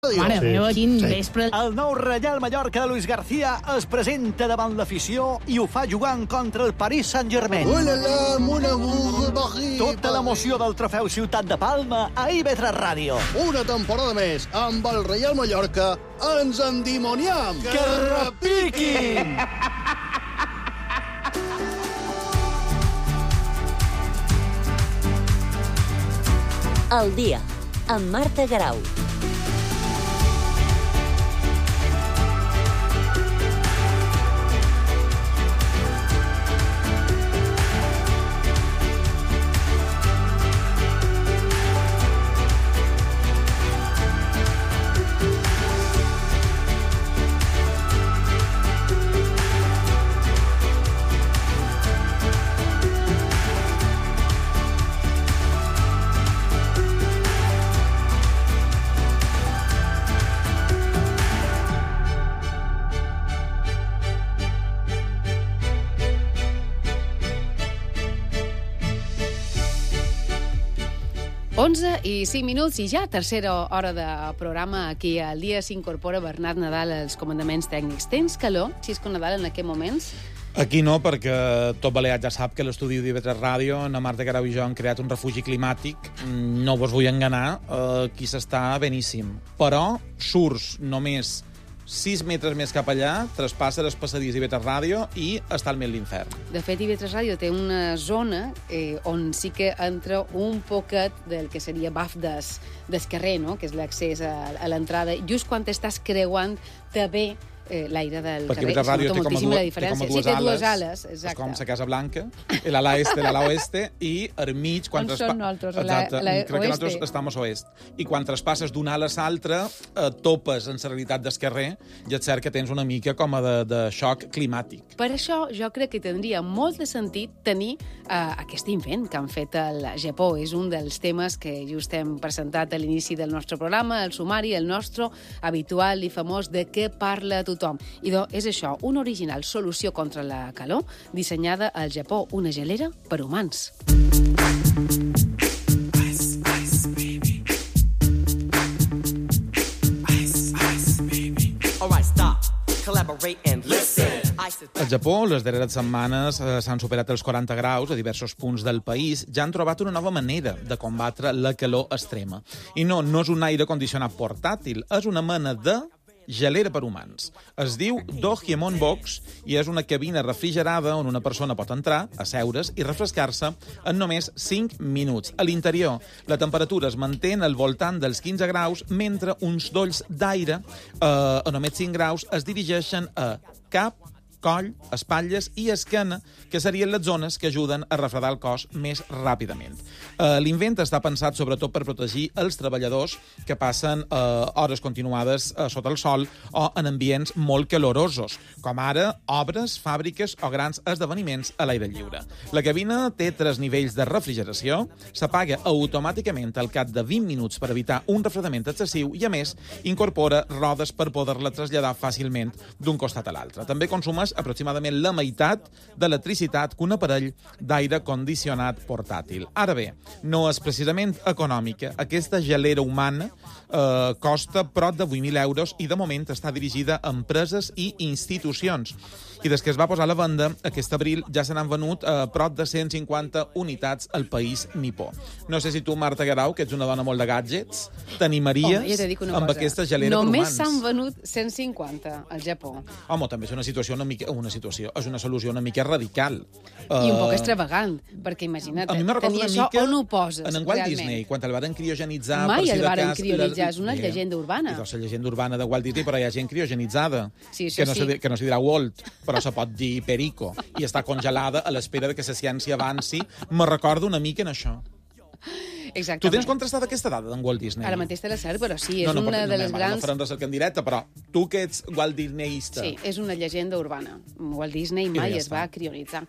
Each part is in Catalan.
Mare meva, quin vespre. El nou Reial Mallorca de Luis García es presenta davant l'afició i ho fa jugant contra el Paris Saint-Germain. Tota l'emoció del trofeu Ciutat de Palma a IB3 Ràdio. Una temporada més amb el Reial Mallorca ens endimoniam. Que repiquin! El dia, amb Marta Garau. I 5 minuts i ja tercera hora de programa. Aquí al dia s'incorpora Bernat Nadal als comandaments tècnics. Tens calor, Xisco Nadal, en aquests moments? Aquí no, perquè tot Balear ja sap que l'estudi d'IV3 Ràdio, na Marta Garau i jo hem creat un refugi climàtic. No vos vull enganar, aquí s'està beníssim. Però surts només 6 metres més cap allà, traspassa el passadís d'IV3 Ràdio i està al mig l'infern. De fet, IV3 Ràdio té una zona on sí que entra un poquet del que seria baf del carrer, no? Que és l'accés a l'entrada. Just quan estàs creuant, te ve l'aire del perquè carrer. Perquè Ràdio té com a dues ales. Exacte. És com la Casa Blanca, l'ala este, l'ala oeste, i al mig... On són nosaltres? Exacte. Crec que nosaltres estem a l'oest. I quan traspasses d'una ala a l'altra, topes en la realitat del carrer i et cert que tens una mica com a de xoc climàtic. Per això jo crec que tindria molt de sentit tenir aquest invent que han fet al Japó. És un dels temes que just hem presentat a l'inici del nostre programa, el sumari, el nostre habitual i famós de què parla tothom. I és això, una original solució contra la calor dissenyada al Japó, una gelera per humans. Al Japó, les darreres setmanes s'han superat els 40 graus a diversos punts del país. Ja han trobat una nova manera de combatre la calor extrema. I no és un aire condicionat portàtil, és una mena de gelera per humans. Es diu Dohemon Box i és una cabina refrigerada on una persona pot entrar, asseure's i refrescar-se en només 5 minuts. A l'interior, la temperatura es manté al voltant dels 15 graus, mentre uns dolls d'aire a només 5 graus es dirigeixen a cap, coll, espatlles i esquena, que serien les zones que ajuden a refredar el cos més ràpidament. L'invent està pensat sobretot per protegir els treballadors que passen hores continuades sota el sol o en ambients molt calorosos, com ara obres, fàbriques o grans esdeveniments a l'aire lliure. La cabina té 3 nivells de refrigeració, s'apaga automàticament al cap de 20 minuts per evitar un refredament excessiu i, a més, incorpora rodes per poder-la traslladar fàcilment d'un costat a l'altre. També consumeix aproximadament la meitat de l'electricitat que un aparell d'aire condicionat portàtil. Ara bé, no és precisament econòmica. Aquesta gelera humana costa prop de 8.000 euros i de moment està dirigida a empreses i institucions. I des que es va posar a la venda, aquest abril ja se n'han venut prop de 150 unitats al país nipó. No sé si tu, Marta Garau, que ets una dona molt de gadgets, t'animaries amb aquesta gelera per humans. Només s'han venut 150 al Japó. Home, també és una situació és una solució una mica radical. I un poc extravagant, perquè imagina't, tenir això on ho poses, en Walt Disney, quan el varen criogenitzar... Mai el varen criogenitzar, és una llegenda urbana. És la llegenda urbana de Walt Disney, però hi ha gent criogenitzada, sí, que no se dirà Walt, però se pot dir Perico, i està congelada a l'espera que la ciència avanci. Me recordo una mica en això. Exactament. Tu tens contrastat aquesta dada d'en Walt Disney? Ara mateix te la cert, però sí, és una de les grans... No farem recerca en directe, però tu que ets Walt Disneyista... Sí, és una llegenda urbana. Walt Disney mai es va criogenitzar.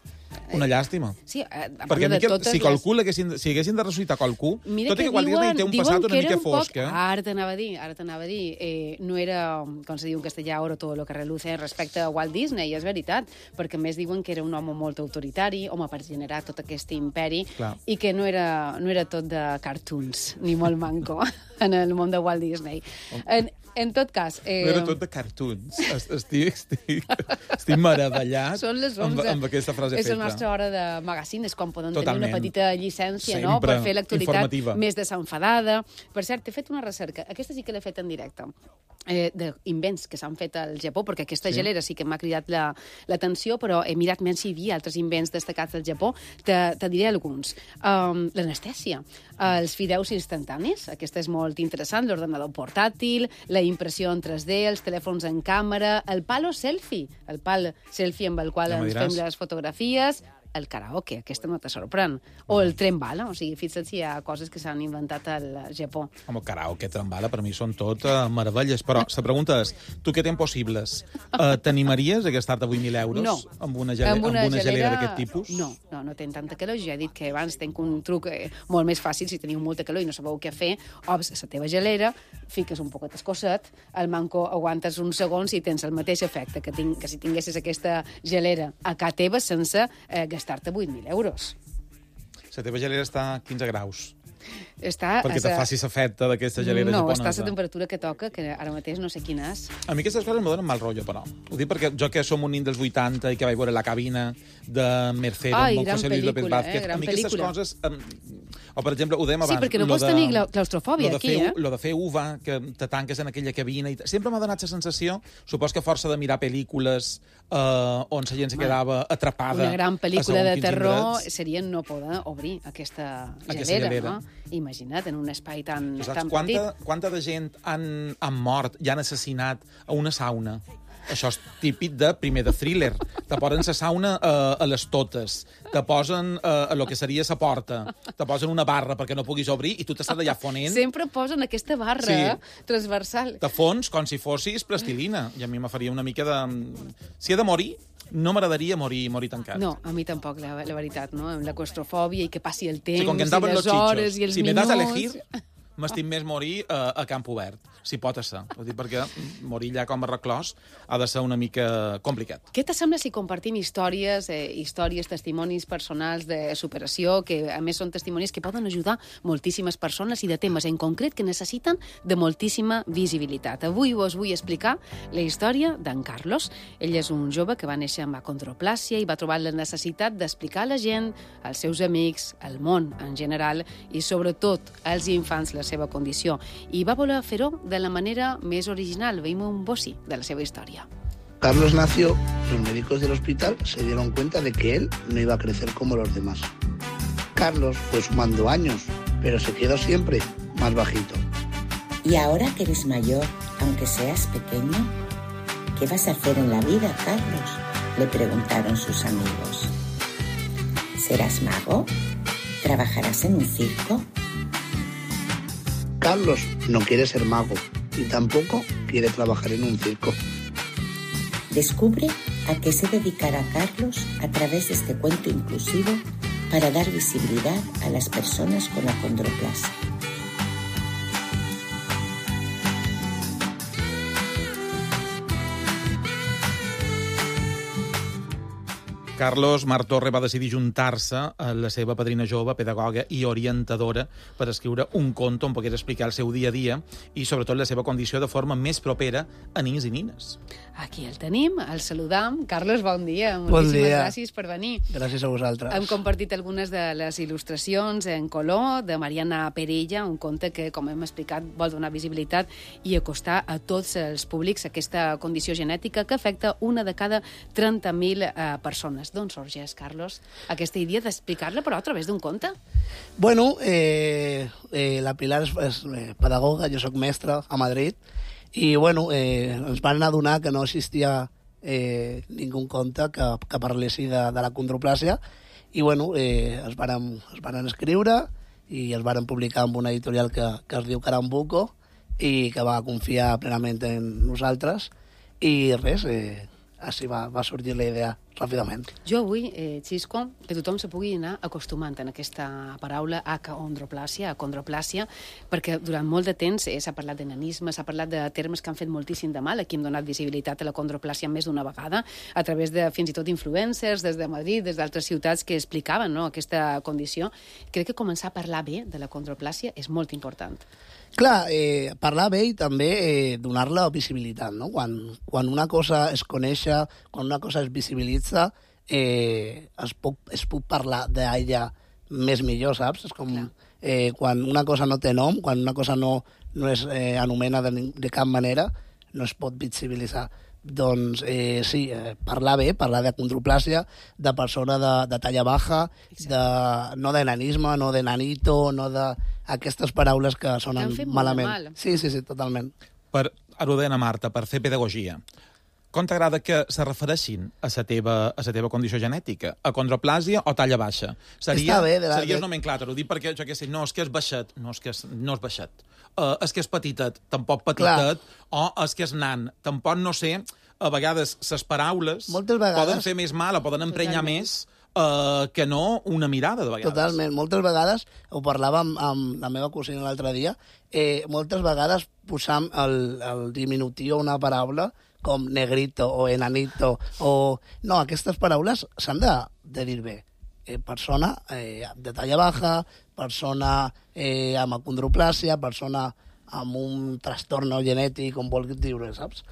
Una llàstima. Sí, perquè si haguessin de ressuscitar qualcú, tot i que Walt Disney té un passat una mica fosc. Ara t'anava a dir, no era, com se diu en castellà, oro todo lo que reluce respecte a Walt Disney, és veritat, perquè més diuen que era un home molt autoritari, home per generar tot aquest imperi, i que no era tot de cartoons, ni molt manco, en el món de Walt Disney. En tot cas... Era tot de cartoons. Estic meravellat Són les 11. amb aquesta frase feta. És la nostra hora de magazine, és quan podem tenir una petita llicència, sempre, no?, per fer l'actualitat informativa. més desenfadada. Per cert, he fet una recerca, aquesta sí que l'he fet en directe, d'invents que s'han fet al Japó, perquè aquesta gelera sí que m'ha cridat l'atenció, però he mirat més si hi havia altres invents destacats del Japó. Te diré alguns. L'anestèsia, els fideus instantanis, aquesta és molt interessant, l'ordenador portàtil, la impressió en 3D, els telèfons en càmera, el pal selfie amb el qual ens fem les fotografies, el karaoke, aquesta no te sorprèn, o el tren bala, o sigui, fixa't si hi ha coses que s'han inventat al Japó. Home, karaoke, tren bala, per mi són tot meravelles, però la pregunta és, tu què tens possibles? T'animaries a gastar-te 8.000 euros amb una gelera d'aquest tipus? No tenc tanta calor, ja he dit que abans tenc un truc molt més fàcil, si teniu molta calor i no sabeu què fer, obres la teva gelera, fiques un poquet escosset, el manco aguantes uns segons i tens el mateix efecte que si tinguessis aquesta gelera a casa teva sense gastar-te 8.000 euros. La teva gelera està a 15 graus. Perquè te facis efecte d'aquesta gelera japonesa. No, està a la temperatura que toca, que ara mateix no sé quina és. A mi aquestes coses em donen mal rotllo, però. Ho dic perquè jo que som un nin dels 80 i que vaig veure La cabina de Mercero, amb José Luis López Vázquez, a mi aquestes coses... O, per exemple, ho dèiem abans... Sí, perquè no pots tenir claustrofòbia aquí, Lo de fer uva, que te tanques en aquella cabina... Sempre m'ha donat la sensació, supos que a força de mirar pel·lícules on la gent se quedava atrapada... Una gran pel·lícula de terror seria no poder obrir aquesta gelera, no? Imagina't, en un espai tan petit. Quanta de gent han mort i han assassinat a una sauna? Això és típic de thriller. Te posen la sauna a les totes, te posen a lo que seria la porta, te posen una barra perquè no puguis obrir i tu t'estàs allà fonent. Sempre posen aquesta barra transversal. Te fons com si fossis plastilina. I a mi me faria una mica de... Si he de morir, no m'agradaria morir tancat. No, a mi tampoc, la veritat, no? Amb la claustrofòbia i que passi el temps, com que i les hores i els minuts... Si me das a elegir, m'estim més morir a camp obert, si pot ser. Perquè morir allà com a reclòs ha de ser una mica complicat. Què te sembla si compartim històries, testimonis personals de superació, que a més són testimonis que poden ajudar moltíssimes persones i de temes en concret que necessiten de moltíssima visibilitat? Avui us vull explicar la història d'en Carlos. Ell és un jove que va néixer amb acondroplàsia i va trobar la necessitat d'explicar a la gent, als seus amics, al món en general i sobretot als infants la seva condició. I va voler fer-ho de la manera més original. Veiem un bocí de la seva història. Carlos nació, los médicos del hospital se dieron cuenta de que él no iba a crecer como los demás. Carlos fue sumando años, pero se quedó siempre más bajito. Y ahora que eres mayor, aunque seas pequeño, ¿qué vas a hacer en la vida, Carlos?, le preguntaron sus amigos. ¿Serás mago? ¿Trabajarás en un circo? Carlos no quiere ser mago y tampoco quiere trabajar en un circo. Descubre a qué se dedicará Carlos a través de este cuento inclusivo para dar visibilidad a las personas con acondroplasia. Carlos Martorre va decidir juntar-se a la seva padrina jove, pedagoga i orientadora per escriure un conte on pogués explicar el seu dia a dia i, sobretot, la seva condició de forma més propera a nins i nines. Aquí el tenim, el saludam. Carlos, bon dia. Moltíssimes gràcies per venir. Gràcies a vosaltres. Hem compartit algunes de les il·lustracions en color de Mariana Perella, un conte que, com hem explicat, vol donar visibilitat i acostar a tots els públics aquesta condició genètica que afecta una de cada 30.000 persones. D'on sorgeix, Carlos, aquesta idea d'explicar-la, però a través d'un conte? Bueno, la Pilar és pedagoga, jo sóc mestre a Madrid, i bueno, ens van adonar que no existia ningú conte que parlessi de la condroplàsia, i bueno, es van escriure i es van publicar amb una editorial que es diu Carambuco i que va confiar plenament en nosaltres, i res, així va sorgir la idea ràpidament. Jo vull, Xisco, que tothom se pugui anar acostumant en aquesta paraula acondroplàsia, perquè durant molt de temps s'ha parlat de nanisme, s'ha parlat de termes que han fet moltíssim de mal. Aquí hem donat visibilitat a la condroplàsia més d'una vegada, a través de fins i tot influencers, des de Madrid, des d'altres ciutats que explicaven aquesta condició. Crec que començar a parlar bé de la condroplàsia és molt important. Clar, parlar bé i també donar-la visibilitat, no? Quan una cosa es coneix, quan una cosa es visibilitza, es puc parlar d'ella més millor, saps? És com quan una cosa no té nom, quan una cosa no es anomena de cap manera, no es pot visibilitzar. Doncs sí, parlar bé, parlar de condroplàsia, de persona de talla baja, no d'enanisme, no de nanito, no d'aquestes paraules que sonen malament. Mal. Sí, totalment. Per Arodena, Marta, per fer pedagogia, com t'agrada que se refereixin a la teva condició genètica? A condroplàsia o talla baixa? Seria el nomenclàtor, ho dic perquè, jo què sé, no, és que és baixet, no és baixet. És que és petitet, tampoc petitet, o és que és nan, tampoc no sé, a vegades les paraules poden fer més mal o poden emprenyar més que no una mirada, de vegades. Totalment. Moltes vegades, ho parlava amb la meva cosina l'altre dia, moltes vegades posam el diminutiu a una paraula com negrito o enanito o... No, aquestes paraules s'han de dir bé. Persona de talla baja, persona amb acondroplàsia, persona amb un trastorn genètic, com vulguis dir-ho, saps?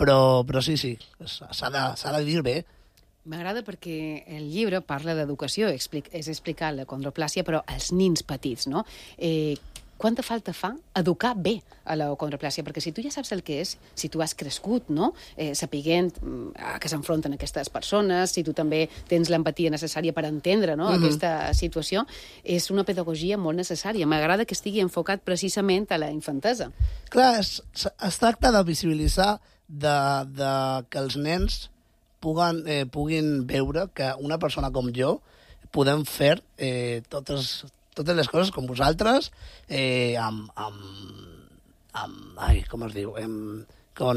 Però sí, s'ha de dir bé. M'agrada perquè el llibre parla d'educació, és explicar la condroplàsia, però als nins petits, no? Quanta falta fa educar bé a la condroplàsia? Perquè si tu ja saps el que és, si tu has crescut, no? Sapiguent a què s'enfronten aquestes persones, si tu també tens l'empatia necessària per entendre, no? Aquesta situació, és una pedagogia molt necessària. M'agrada que estigui enfocat precisament a la infantesa. Clar, es tracta de visibilitzar que els nens puguin veure que una persona com jo podem fer totes les coses com vosaltres, com es diu?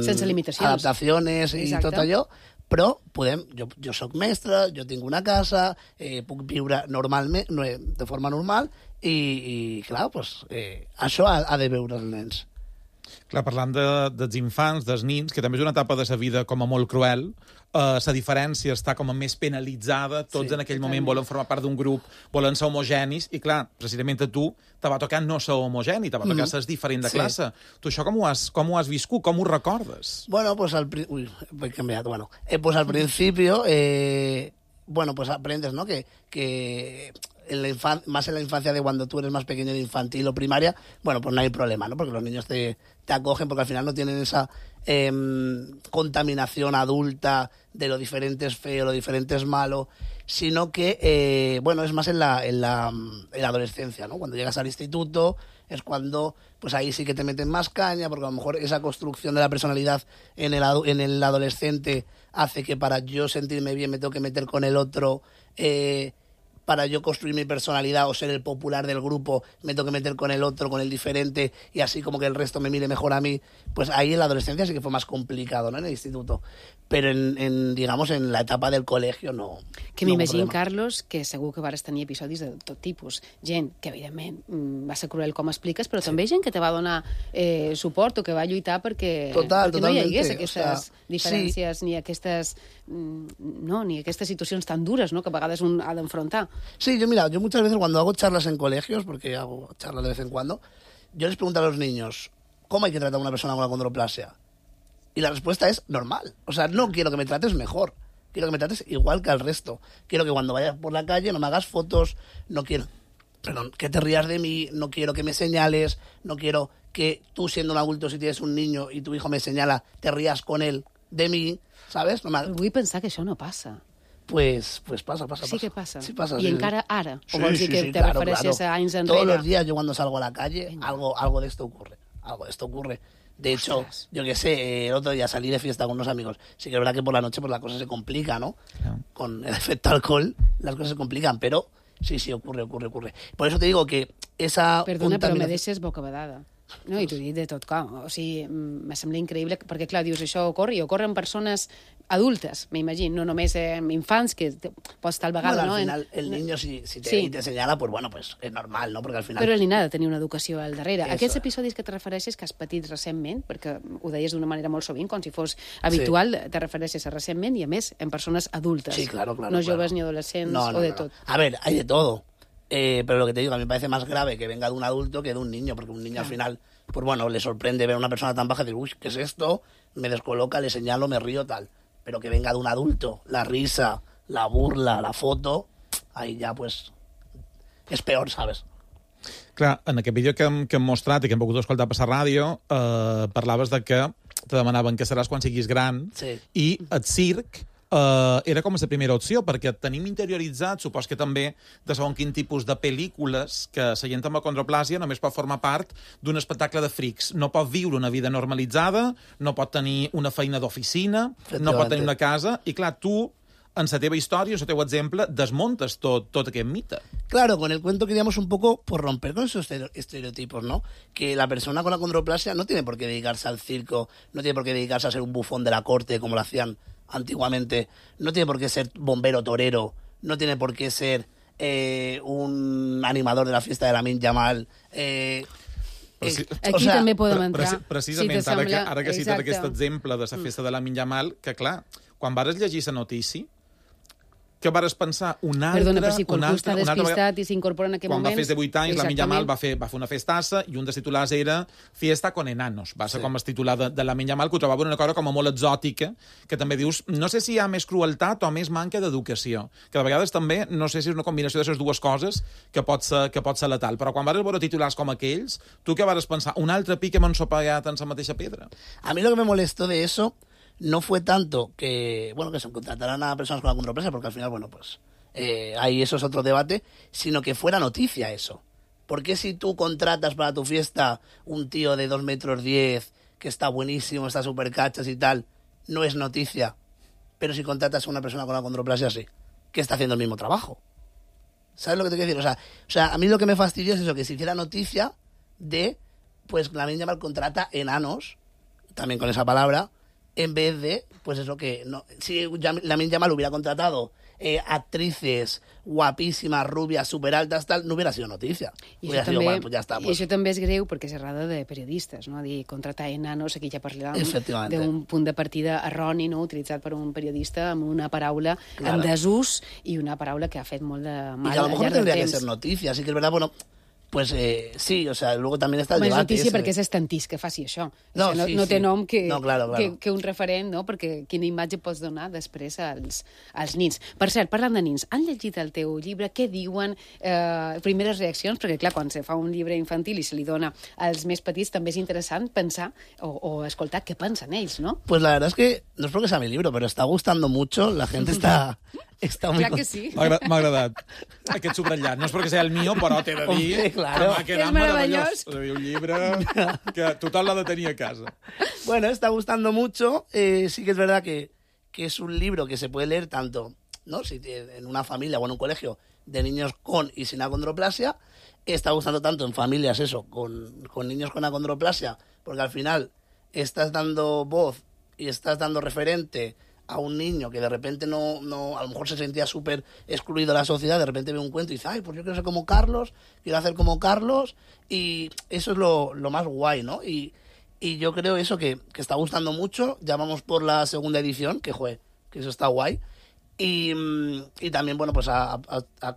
Sense limitacions. Adaptacions i tot allò, però jo soc mestre, jo tinc una casa, puc viure normalment, de forma normal, i clar, això ha de veure els nens. Clar, parlant dels infants, dels nins, que també és una etapa de la vida com a molt cruel, la diferència està com a més penalitzada, tots en aquell moment volen formar part d'un grup, volen ser homogenis, i clar, precisament a tu te va tocar no ser homogeni, te va tocar ser diferent de classe. Tu això com ho has viscut? Com ho recordes? Bueno, pues al principio, pues aprendes, ¿no? Que más en la infancia de cuando tú eres más pequeño, de infantil o primaria, pues no hay problema, ¿no? Porque los niños te acogen, porque al final no tienen esa contaminación adulta de lo diferente es feo, lo diferente es malo, sino que, es más en la adolescencia, ¿no? Cuando llegas al instituto es cuando, pues ahí sí que te meten más caña, porque a lo mejor esa construcción de la personalidad en el adolescente hace que para yo sentirme bien me tengo que meter con el otro, para yo construir mi personalidad o ser el popular del grupo, me tengo que meter con el otro, con el diferente, y así como que el resto me mire mejor a mí. Pues ahí en la adolescencia sí que fue más complicado, ¿no? En el instituto. Però en la etapa del col·legi no. Que m'imagino, Carlos, que segur que vas tenir episodis de tot tipus. Gent que, evidentment, va ser cruel com expliques, però també gent que te va donar suport o que va lluitar perquè no hi hagués aquestes diferències ni aquestes situacions tan dures, ¿no?, que a vegades un ha d'enfrontar. Sí, yo muchas veces cuando hago charlas en colegios, porque hago charlas de vez en cuando, yo les pregunto a los niños, ¿cómo hay que tratar a una persona con acondroplasia? Y la respuesta es normal. O sea, no quiero que me trates mejor. Quiero que me trates igual que al resto. Quiero que cuando vayas por la calle no me hagas fotos, no quiero que te rías de mí, no quiero que me señales, no quiero que tú, siendo un adulto, si tienes un niño y tu hijo me señala, te rías con él de mí, ¿sabes? Vull pensar que això no passa. Pues pasa. Sí que pasa. Sí pasa. Y encara ara. O vols dir que te refereixes a anys enrere? Todos los días yo cuando salgo a la calle, algo de esto ocurre. Algo de esto ocurre. De hecho, yo qué sé, el otro día salí de fiesta con unos amigos. Sí que es verdad que por la noche pues la cosa se complica, ¿no? Claro. Con el efecto alcohol las cosas se complican, pero sí, ocurre. Por eso te digo que esa... Perdona, però me deixes bocabadada. No, i t'ho dic de tot cop. O sigui, me sembla increïble, perquè, clar, dius, això ocorre en persones adultes, m'imagino, no només infants, que pots tal vegada, bueno, no? Al final, el niño, si te señala, pues bueno, pues es normal, ¿no? Porque al final... Però el nen ha de tenir una educació al darrere. Eso. Aquests episodis que te refereixes que has patit recentment, perquè ho deies d'una manera molt sovint, com si fos habitual, te refereixes a recentment i, a més, en persones adultes. Sí, claro. No joves ni adolescents o de tot. A ver, hay de todo. Pero lo que te digo, a mí me parece más grave que venga de un adulto que de un niño, porque un niño al final, pues bueno, le sorprende ver a una persona tan baja y decir, uy, ¿qué es esto? Me descoloca, le señalo, me río, tal. Pero que venga de un adulto, la risa, la burla, la foto, ahí ja, pues, és peor, ¿sabes? Clar, en aquest vídeo que hem mostrat i que hem pogut escoltar per la ràdio, parlaves de que te demanaven què seràs quan siguis gran, Sí. i el circ era com la primera opció, perquè tenim interioritzat, supos que també, de segons quin tipus de pel·lícules, que la gent amb acondroplàsia només pot formar part d'un espectacle de frics. No pot viure una vida normalitzada, no pot tenir una feina d'oficina, no pot tenir una casa, i clar, tu, en la teva història, el teu exemple, desmontes tot aquest mite. Claro, con el cuento queríamos un poco pues, romper con esos estereotipos, ¿no? Que la persona con acondroplasia no tiene por qué dedicarse al circo, no tiene por qué dedicarse a ser un bufón de la corte, como lo hacían antiguamente, no tiene por qué ser bombero torero, no tiene por qué ser un animador de la fiesta de Lamine Yamal. Aquí també podem entrar. Precisament, si sembla, ara que cites aquest exemple de la festa de Lamine Yamal, que clar, quan vares llegir la notícia, què vares pensar? Perdona, però si qualcú està despistat i s'incorpora en aquest moment... Quan va fer 18 anys, Lamine Yamal va fer una festassa i un dels titulars era Fiesta con enanos. Va ser com el titular de Lamine Yamal, que ho trobava una cosa com molt exòtica, que també dius, no sé si hi ha més crueltat o més manca d'educació, que de vegades també, no sé si és una combinació de les dues coses que pot ser letal. Però quan vares veure titulars com aquells, tu què vares pensar? Un altre pic que m'han sopagat en la mateixa pedra? A mí lo que me molestó de eso no fue tanto que, bueno, que se contrataran a personas con acondroplasia, porque al final, bueno, pues ahí eso es otro debate, sino que fuera noticia eso. ¿Por qué si tú contratas para tu fiesta un tío de 2,10 metros que está buenísimo, está súper cachas y tal, no es noticia? Pero si contratas a una persona con acondroplasia, sí, que está haciendo el mismo trabajo. ¿Sabes lo que te quiero decir? O sea, a mí lo que me fastidió es eso, que se hiciera noticia de, pues, Lamine Yamal contrata enanos, también con esa palabra, en vez de, pues eso que... no, si Lamine Yamal hubiera contratado actrices guapíssimes, rubias, superaltes, tal, no hubiera sido notícia. Hubiera sido, bueno, pues ya está. Pues. I això també és greu perquè és errada de periodistes, no? Dir, contratar enanos, aquí ja parlàvem d'un punt de partida erroni, no? Utilitzat per un periodista amb una paraula en desús i una paraula que ha fet molt de mal. Y a lo mejor no tendría que ser noticia, así que es verdad, bueno... Pues sí, o sea, luego también está el debate. És notícia perquè és estantís que faci això. No, no, sí, no té sí. nom que, claro. que un referent, no? Perquè quina imatge pots donar després als nins. Per cert, parlant de nins, han llegit el teu llibre? Què diuen? Primeres reaccions? Perquè, clar, quan se fa un llibre infantil i se li dona als més petits, també és interessant pensar o escoltar què pensen ells, ¿no? Pues la verdad es que, no es porque sea mi libro, pero está gustando mucho, la gente está muy... Clar que sí. M'ha agradat aquest subratllat. No és perquè sigui el mío, però t'he de dir claro. que m'ha quedat meravellós. Un llibre que tothom l'ha de tenir a casa. Bueno, está gustando mucho. Sí que es verdad que es un libro que se puede leer tanto, ¿no? Si en una familia o en un colegio de niños con y sin acondroplasia. Está gustando tanto en familias eso, con niños con acondroplasia, porque al final estás dando voz y estás dando referente a un niño que de repente no a lo mejor se sentía súper excluido de la sociedad, de repente ve un cuento y dice, ay, pues yo quiero ser como Carlos, quiero hacer como Carlos, y eso es lo más guay, ¿no? Y yo creo eso que está gustando mucho. Ya vamos por la segunda edición, que eso está guay. Y también, bueno, pues ha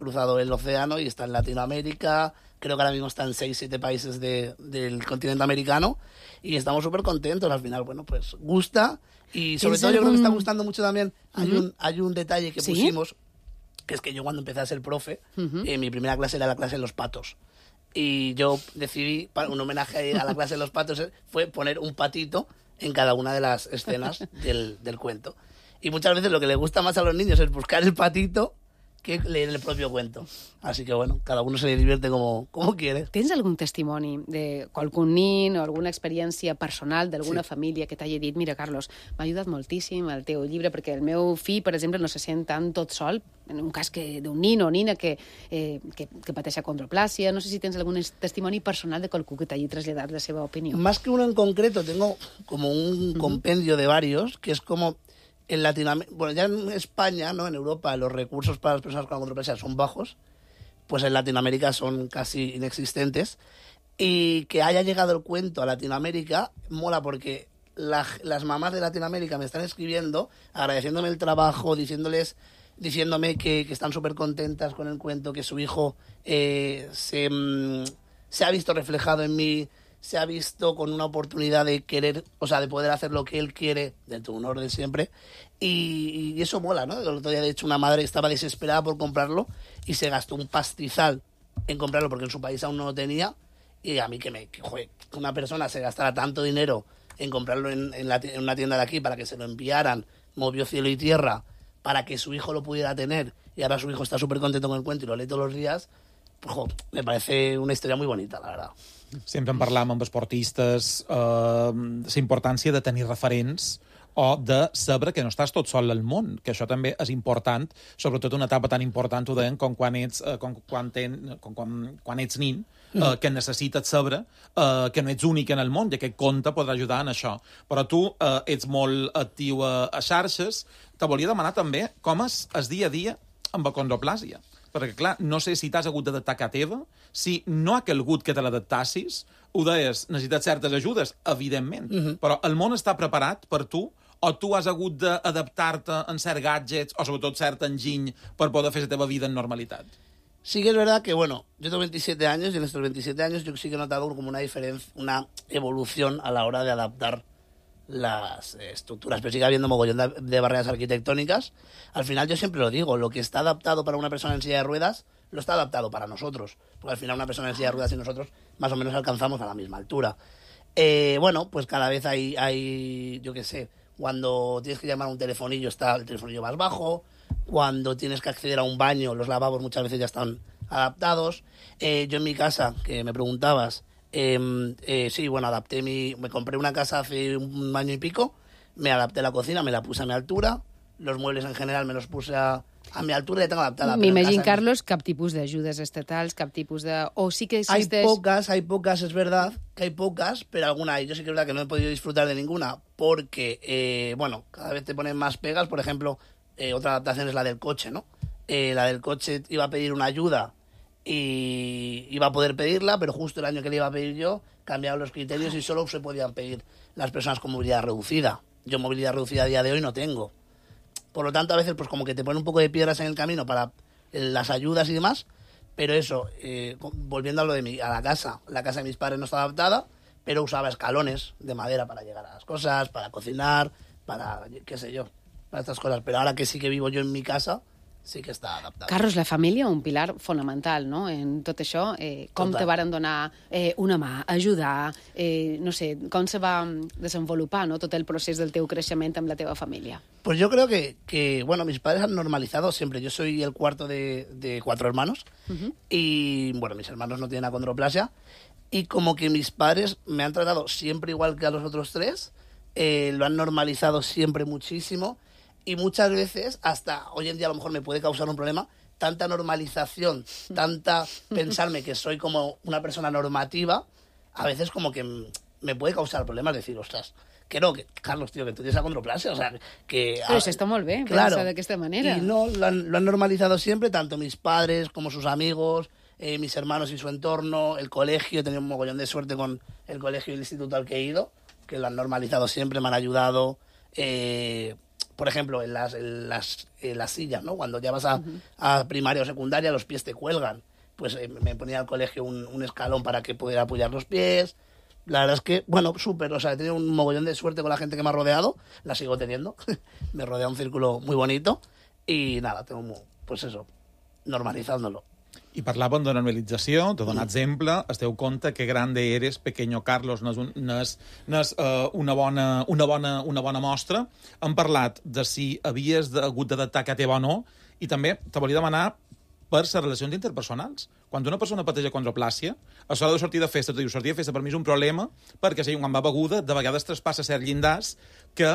cruzado el océano y está en Latinoamérica. Creo que ahora mismo está en 6-7 países del continente americano. Y estamos súper contentos. Al final, bueno, pues gusta. Y sobre todo yo creo que está gustando mucho también. Hay un detalle que pusimos, que es que yo cuando empecé a ser profe, mi primera clase era la clase de los patos. Y yo decidí, un homenaje a la clase de los patos, fue poner un patito en cada una de las escenas del cuento. Y muchas veces lo que les gusta más a los niños es buscar el patito que leer el propio cuento. Así que, bueno, cada uno se le divierte como quiere. Tens algun testimoni de qualcun nin o alguna experiència personal d'alguna família que t'hagi dit, mira, Carlos, m'ha ajudat moltíssim el teu llibre perquè el meu fill, per exemple, no se sent tan tot sol, en un cas d'un nin o nina que pateix acondroplàsia. No sé si tens algun testimoni personal de qualcú que t'hagi traslladat la seva opinió. Más que uno en concreto, tengo como un compendio de varios, que es como... En Latinoamérica, bueno, ya en España, ¿no? En Europa, los recursos para las personas con acondroplasia son bajos, pues en Latinoamérica son casi inexistentes. Y que haya llegado el cuento a Latinoamérica mola porque las mamás de Latinoamérica me están escribiendo, agradeciéndome el trabajo, diciéndoles diciéndome que están súper contentas con el cuento, que su hijo se ha visto reflejado en mí, se ha visto con una oportunidad de querer, o sea, de poder hacer lo que él quiere, dentro de un orden siempre, y eso mola, ¿no? El otro día, de hecho, una madre estaba desesperada por comprarlo y se gastó un pastizal en comprarlo porque en su país aún no lo tenía, y a mí que una persona se gastara tanto dinero en comprarlo en una tienda de aquí para que se lo enviaran, movió cielo y tierra para que su hijo lo pudiera tener, y ahora su hijo está súper contento con el cuento y lo lee todos los días, pues, me parece una historia muy bonita, la verdad. Sempre en parlam amb esportistes la importància de tenir referents o de saber que no estàs tot sol al món, que això també és important, sobretot una etapa tan important, ho deien, com quan ets nin, que necessites saber que no ets únic en el món i aquest conte podrà ajudar en això. Però tu ets molt actiu a xarxes. Te volia demanar també com és el dia a dia amb acondroplàsia. Perquè, clar, no sé si t'has hagut d'adaptar a casa teva, si no ha calgut que te l'adaptassis, ho deies, necessites certes ajudes, evidentment, però el món està preparat per tu, o tu has hagut d'adaptar-te en certs gadgets, o sobretot cert enginy, per poder fer la teva vida en normalitat? Sí que es verdad que, bueno, yo tengo 27 años y en estos 27 años yo sí que he notado como una diferencia, una evolución a la hora de adaptar las estructuras, pero sigue habiendo mogollón de barreras arquitectónicas. Al final yo siempre lo digo, lo que está adaptado para una persona en silla de ruedas, lo está adaptado para nosotros, porque al final una persona en silla de ruedas y nosotros más o menos alcanzamos a la misma altura. Bueno, pues cada vez hay, yo qué sé, cuando tienes que llamar a un telefonillo está el telefonillo más bajo, cuando tienes que acceder a un baño, los lavabos muchas veces ya están adaptados. Yo en mi casa, que me preguntabas, sí, bueno, me compré una casa hace un año y pico, me adapté la cocina, me la puse a mi altura, los muebles en general me los puse a mi altura y la tengo adaptada. M'imagino, Carlos, cap tipus d'ajudes estatals, cap tipus de... O sí que existeix... Hay pocas, es verdad que hay pocas, pero alguna, y yo sí que es verdad que no he podido disfrutar de ninguna, porque, bueno, cada vez te ponen más pegas. Por ejemplo, otra adaptación es la del coche, ¿no? La del coche iba a pedir una ayuda y iba a poder pedirla, pero justo el año que le iba a pedir yo cambiaron los criterios y solo se podían pedir las personas con movilidad reducida. Yo movilidad reducida a día de hoy no tengo. Por lo tanto, a veces pues como que te ponen un poco de piedras en el camino para las ayudas y demás, pero eso, volviendo a lo de a la casa de mis padres no está adaptada, pero usaba escalones de madera para llegar a las cosas, para cocinar, para, qué sé yo, para estas cosas. Pero ahora que sí que vivo yo en mi casa, sí que està adaptat. Carlos, la família, un pilar fonamental, no?, en tot això. Com te varen donar una mà, ajudar, no sé, com se va desenvolupar, no?, tot el procés del teu creixement amb la teva família? Pues yo creo que bueno, mis padres han normalizado siempre. Yo soy el cuarto de 4 hermanos y, bueno, mis hermanos no tienen acondroplasia y como que mis padres me han tratado siempre igual que a los otros 3, lo han normalizado siempre muchísimo. Y muchas veces, hasta hoy en día a lo mejor me puede causar un problema, tanta normalización, tanta pensarme que soy como una persona normativa, a veces como que me puede causar problemas, decir, ostras, que no, que Carlos, tío, que tú tienes acondroplasia, o sea, que... Però això està molt bé, claro, pensar d'aquesta manera. Y no, lo han normalizado siempre, tanto mis padres como sus amigos, mis hermanos y su entorno, el colegio. He tenido un mogollón de suerte con el colegio y el instituto al que he ido, que lo han normalizado siempre, me han ayudado... por ejemplo, en las sillas, ¿no? Cuando ya vas a primaria o secundaria, los pies te cuelgan. Pues me ponía al colegio un escalón para que pudiera apoyar los pies. La verdad es que, bueno, súper. O sea, he tenido un mogollón de suerte con la gente que me ha rodeado. La sigo teniendo. Me rodea un círculo muy bonito. Y nada, tengo, pues eso, normalizándolo. I parlàvem de normalització, de donar exemple, es deu compte que grande eres, pequeño Carlos, no és una bona mostra. Hem parlat de si havies hagut d'adaptar a teva o no, i també te volia demanar per les relacions interpersonals. Quan una persona pateix acondroplàsia, a l'hora de sortir de festa, sortir de festa per mi és un problema, perquè si quan va beguda, de vegades traspassa certs llindars que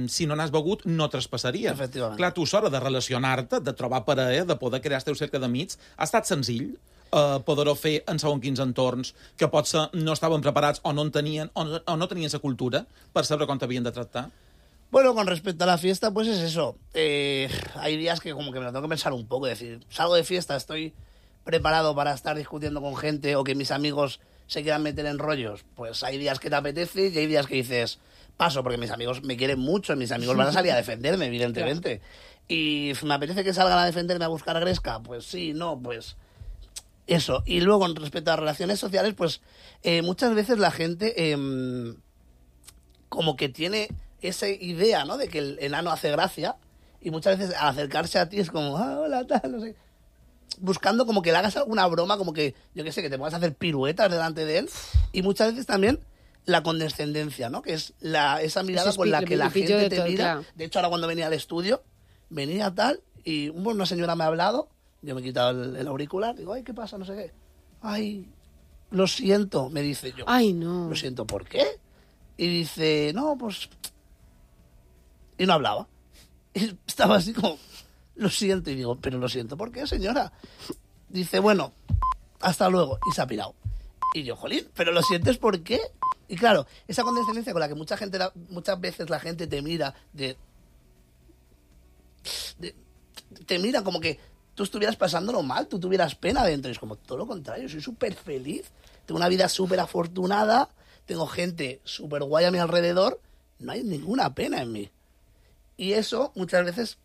si no n'has begut no traspassaria. Clar, tu, a l'hora de relacionar-te, de trobar parella, de poder crear el teu cercle d'amics, ha estat senzill poder-ho fer en segons quins entorns que potser no estaven preparats o no tenien la cultura per saber com t'havien de tractar? Bueno, con respecto a la fiesta, pues es eso. Hay días que como que me lo tengo que pensar un poco, es decir, salgo de fiesta, estoy preparado para estar discutiendo con gente o que mis amigos se quieran meter en rollos. Pues hay días que te apetece y hay días que dices, paso, porque mis amigos me quieren mucho, mis amigos van a salir a defenderme, evidentemente. Y me apetece que salgan a defenderme a buscar a Gresca, pues sí, no, pues eso. Y luego, respecto a relaciones sociales, pues muchas veces la gente como que tiene esa idea, ¿no?, de que el enano hace gracia, y muchas veces al acercarse a ti es como, hola, tal, no sé, buscando como que le hagas alguna broma, como que, yo qué sé, que te pongas a hacer piruetas delante de él, y muchas veces también la condescendencia, ¿no?, que es esa mirada con la que la gente te mira. Claro. De hecho, ahora cuando venía al estudio, venía tal, y una señora me ha hablado, yo me he quitado el auricular, digo, ay, ¿qué pasa? No sé qué. Ay, lo siento, me dice yo. Ay, no. Lo siento, ¿por qué? Y dice, no, pues... Y no hablaba. Y estaba así como, lo siento. Y digo, pero lo siento, ¿por qué, señora? Dice, bueno, hasta luego. Y se ha pirado. Y yo, jolín, ¿pero lo sientes por qué? Y claro, esa condescendencia con la que muchas veces la gente te mira, te mira como que tú estuvieras pasándolo mal, tú tuvieras pena dentro. Y es como todo lo contrario, soy súper feliz, tengo una vida súper afortunada, tengo gente súper guay a mi alrededor, no hay ninguna pena en mí. Y eso muchas veces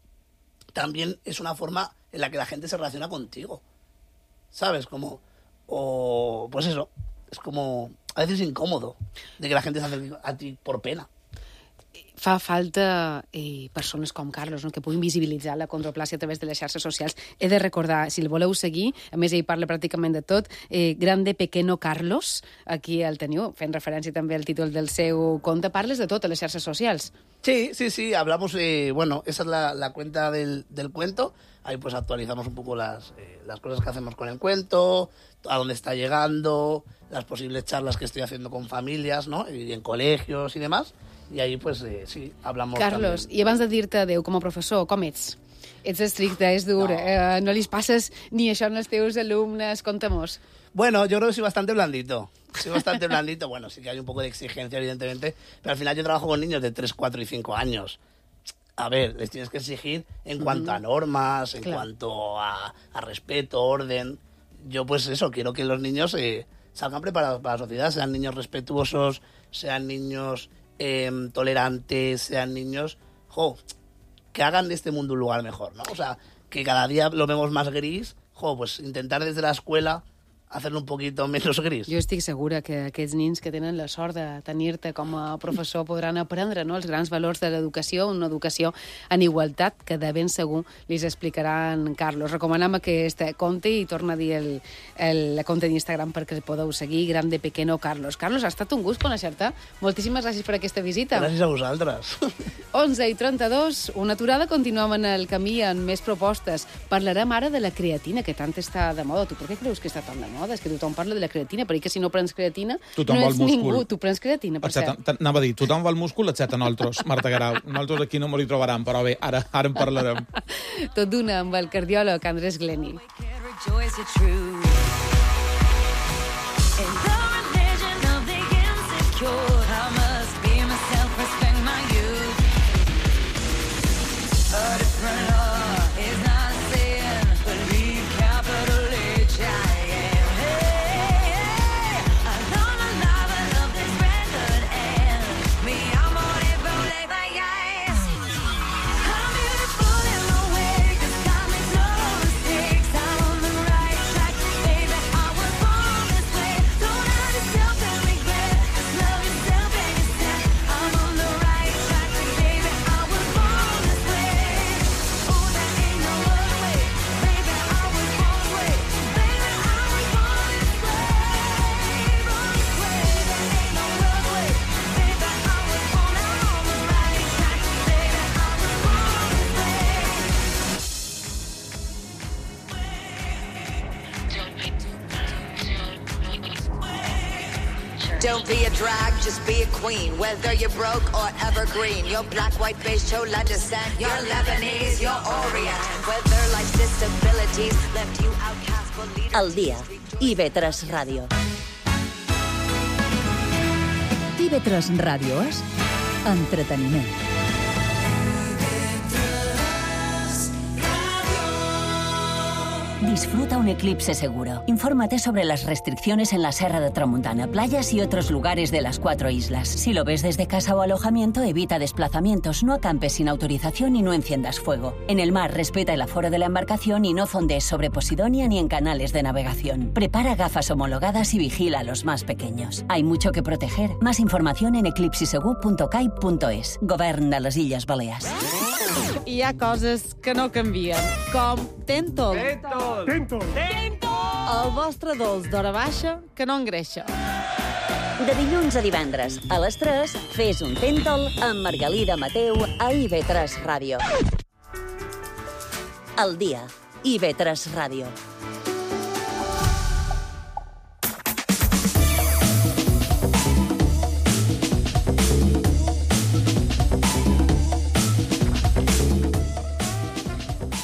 también es una forma en la que la gente se relaciona contigo, ¿sabes? Como, o pues eso, es como a veces incómodo de que la gente se acerque a ti por pena. Fa falta persones com Carlos, no?, que puguin visibilitzar la condroplàsia a través de les xarxes socials. He de recordar, si el voleu seguir, a més ell parla pràcticament de tot, Grande Pequeno Carlos, aquí el teniu, fent referència també al títol del seu conte, parles de tot a les xarxes socials. Sí, hablamos, bueno, esa es la cuenta del cuento, ahí pues actualizamos un poco las cosas que hacemos con el cuento, a dónde está llegando, las posibles charlas que estoy haciendo con familias, ¿no?, y en colegios y demás. I ahí, pues, sí, hablamos Carlos, també. I abans de dir-te adéu com a professor, com ets? Ets estricte, és dur, no li passes ni això als teus alumnes, conta'mos. Bueno, yo creo que soy bastante blandito. Bueno, sí que hay un poco de exigencia, evidentemente, pero al final yo trabajo con niños de 3, 4 y 5 años. A ver, les tienes que exigir en cuanto a normas, en cuanto a respeto, orden. Yo, pues eso, quiero que los niños salgan preparados para la sociedad, sean niños respetuosos, sean niños... tolerantes, sean niños, que hagan de este mundo un lugar mejor, ¿no? O sea, que cada día lo vemos más gris, pues intentar desde la escuela hacerlo un poquito menos gris. Jo estic segura que aquests nins que tenen la sort de tenir-te com a professor podran aprendre, no?, els grans valors de l'educació, una educació en igualtat que de ben segur li explicaran Carlos. Recomanem aquest conte i torna a dir el compte d'Instagram perquè el podeu seguir, Grande Pequeno Carlos. Carlos, ha estat un gust conèixer-te. Moltíssimes gràcies per aquesta visita. Gràcies a vosaltres. 11:32, una aturada, continuem en el camí amb més propostes. Parlarem ara de la creatina, que tant està de moda. Tu per què creus que està tan de moda? És que tothom parla de la creatina, perquè si no prens creatina tothom no ets ningú. Tu prens creatina, per cert. Anava a dir, tothom va al múscul, excepte nosaltres, Marta Guerau. Nosaltres aquí no m'ho hi trobaran, però bé, ara en parlarem. Tot d'una amb el cardiòleg Andrés Gleni. Don't be a drag, just be a queen. Whether you're broke or evergreen, your black, white, beige, chola descent, you're Lebanese, you're Orient. Whether life's disabilities left you outcast but leaders. El dia. IB3 Ràdio. IB3 Ràdio és entreteniment. Disfruta un eclipse seguro. Infórmate sobre las restricciones en la Serra de Tramuntana, playas y otros lugares de las 4 islas. Si lo ves desde casa o alojamiento, evita desplazamientos, no acampes sin autorización y no enciendas fuego. En el mar, respeta el aforo de la embarcación y no fondees sobre Posidonia ni en canales de navegación. Prepara gafas homologadas y vigila a los más pequeños. Hay mucho que proteger. Más información en eclipsisegur.cai.es. Govern de les Illes Balears. Hi ha coses que no canvien, com Tentol. Tentol. El vostre dolç d'hora baixa que no engreixa. De dilluns a divendres, a les 3, fes un Tentol amb Margalida Mateu a IB3 Ràdio. El dia, IB3 Ràdio.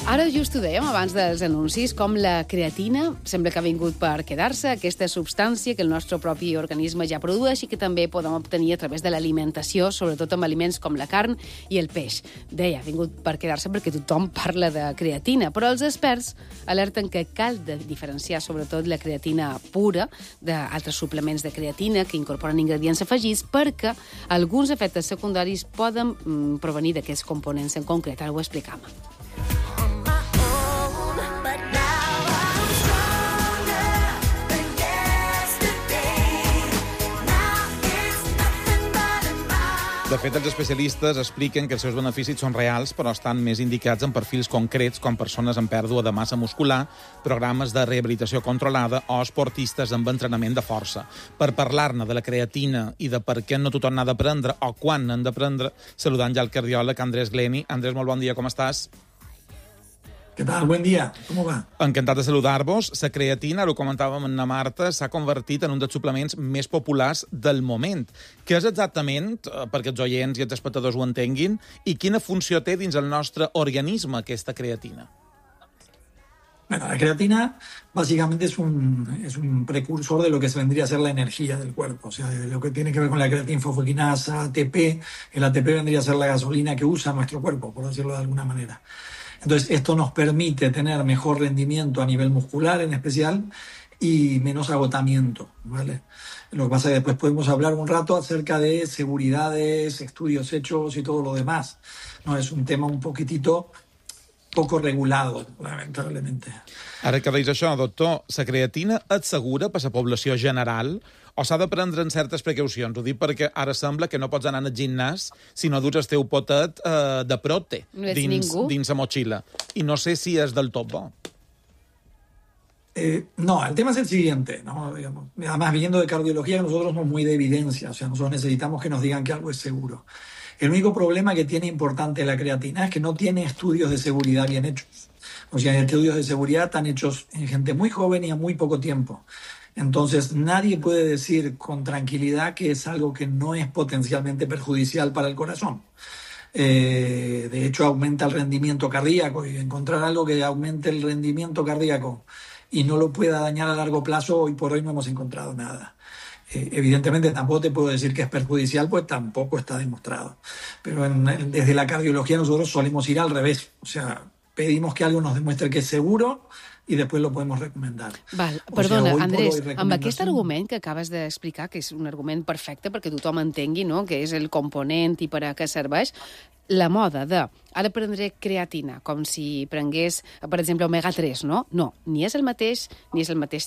Ara just ho dèiem abans dels anuncis, com la creatina sembla que ha vingut per quedar-se, aquesta substància que el nostre propi organisme ja produeix i que també podem obtenir a través de l'alimentació, sobretot amb aliments com la carn i el peix. Deia, ha vingut per quedar-se perquè tothom parla de creatina, però els experts alerten que cal diferenciar sobretot la creatina pura d'altres suplements de creatina que incorporen ingredients afegits perquè alguns efectes secundaris poden provenir d'aquests components en concret. Ara ho explicam. De fet, els especialistes expliquen que els seus beneficis són reals, però estan més indicats en perfils concrets, com persones amb pèrdua de massa muscular, programes de rehabilitació controlada o esportistes amb entrenament de força. Per parlar-ne de la creatina i de per què no tothom n'ha de prendre o quan n'han de prendre, saludant ja el cardiòleg Andrés Gleni. Andrés, molt bon dia, com estàs? ¿Qué tal? Buen día. ¿Cómo va? Encantat de saludar-vos. La creatina, ho comentàvem amb la Marta, s'ha convertit en un dels suplements més populars del moment. Què és exactament, perquè els oients i els espectadors ho entenguin, i quina funció té dins el nostre organisme aquesta creatina? Bueno, la creatina básicamente es un precursor de lo que se vendría a ser la energía del cuerpo. O sea, lo que tiene que ver con la creatinfosfoquinasa, ATP. El ATP vendría a ser la gasolina que usa nuestro cuerpo, por decirlo de alguna manera. Entonces, esto nos permite tener mejor rendimiento a nivel muscular en especial y menos agotamiento, ¿vale? Lo que pasa es que después podemos hablar un rato acerca de seguridades, estudios hechos y todo lo demás. No, es un tema un poquitito poco regulado, lamentablemente. Ara que deies això, doctor, la creatina és segura per a la població general o s'ha de prendre en certes precaucions? Ho dic perquè ara sembla que no pots anar al gimnàs si no dus el teu potet de prote dins la motxilla. I no sé si és del tot bo. No, el tema es el siguiente, ¿no? Digamos, además, viniendo de cardiología, nosotros somos muy de evidencia, o sea, nosotros necesitamos que nos digan que algo es seguro. El único problema que tiene importante la creatina es que no tiene estudios de seguridad bien hechos. O sea, estudios de seguridad están hechos en gente muy joven y a muy poco tiempo. Entonces, nadie puede decir con tranquilidad que es algo que no es potencialmente perjudicial para el corazón. De hecho, aumenta el rendimiento cardíaco, y encontrar algo que aumente el rendimiento cardíaco y no lo pueda dañar a largo plazo, hoy por hoy no hemos encontrado nada. Evidentemente tampoco te puedo decir que es perjudicial, pues tampoco está demostrado. Pero desde la cardiología nosotros solemos ir al revés. O sea, pedimos que algo nos demuestre que es seguro i després lo podemos recomendar. Val, perdona, Andrés, amb aquest argument que acabes d'explicar, que és un argument perfecte perquè tothom entengui, no?, que és el component i per a què serveix, la moda de ara prendré creatina, com si prengués, per exemple, omega-3, no? No, ni és el mateix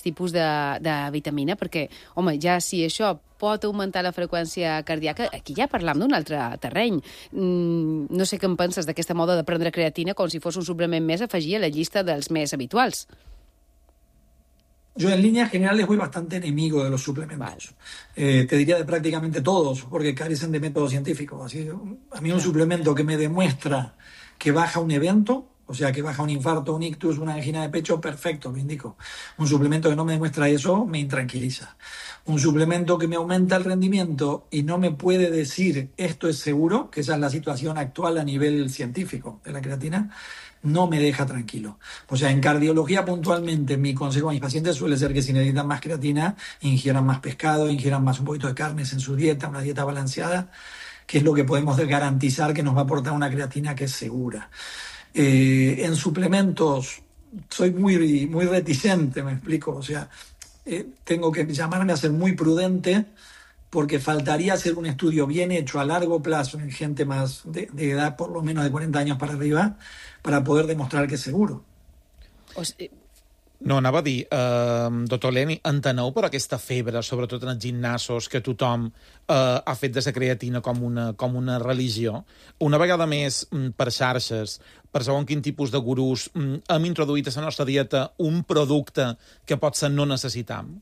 tipus de vitamina, perquè, home, ja si això pot augmentar la freqüència cardíaca, aquí ja parlam d'un altre terreny. No sé què en penses d'aquesta moda de prendre creatina com si fos un suplement més a afegir a la llista dels més habituals. Yo en líneas generales voy bastante enemigo de los suplementos. Te diría de prácticamente todos, porque carecen de método científico. Así, a mí un suplemento que me demuestra que baja un evento, o sea, que baja un infarto, un ictus, una angina de pecho, perfecto, lo indico. Un suplemento que no me demuestra eso me intranquiliza. Un suplemento que me aumenta el rendimiento y no me puede decir esto es seguro, que esa es la situación actual a nivel científico de la creatina, no me deja tranquilo. O sea, en cardiología puntualmente mi consejo a mis pacientes suele ser que si necesitan más creatina, ingieran más pescado, ingieran más un poquito de carnes en su dieta, una dieta balanceada, que es lo que podemos garantizar que nos va a aportar una creatina que es segura. En suplementos soy muy reticente, me explico. O sea, tengo que llamarme a ser muy prudente porque faltaría hacer un estudio bien hecho a largo plazo en gente más de edad, por lo menos de 40 años para arriba, para poder demostrar que es seguro. No, anava a dir, doctor Glenny, enteneu per aquesta febre, sobretot en els gimnasos, que tothom ha fet de la creatina com una religió? Una vegada més, per xarxes, per segons quin tipus de gurús, hem introduït a la nostra dieta un producte que potser no necessitam?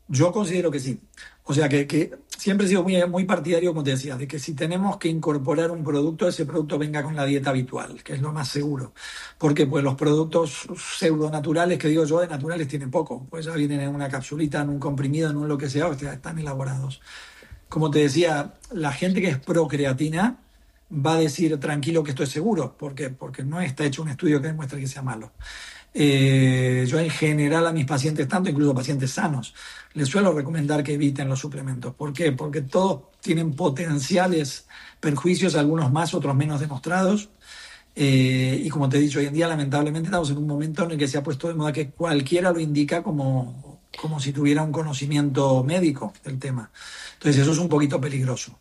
Yo considero que sí. O sea, que siempre he sido muy partidario, como te decía, de que si tenemos que incorporar un producto, ese producto venga con la dieta habitual, que es lo más seguro. Porque pues los productos pseudonaturales, que digo yo, de naturales tienen poco. Pues ya vienen en una capsulita, en un comprimido, en un lo que sea, o sea, están elaborados. Como te decía, la gente que es pro creatina va a decir tranquilo que esto es seguro. ¿Por qué? Porque no está hecho un estudio que demuestre que sea malo. Yo en general a mis pacientes, tanto incluso pacientes sanos, les suelo recomendar que eviten los suplementos. ¿Por qué? Porque todos tienen potenciales perjuicios, algunos más, otros menos demostrados. Y como te he dicho, hoy en día lamentablemente estamos en un momento en el que se ha puesto de moda que cualquiera lo indica como si tuviera un conocimiento médico del tema. Entonces eso es un poquito peligroso.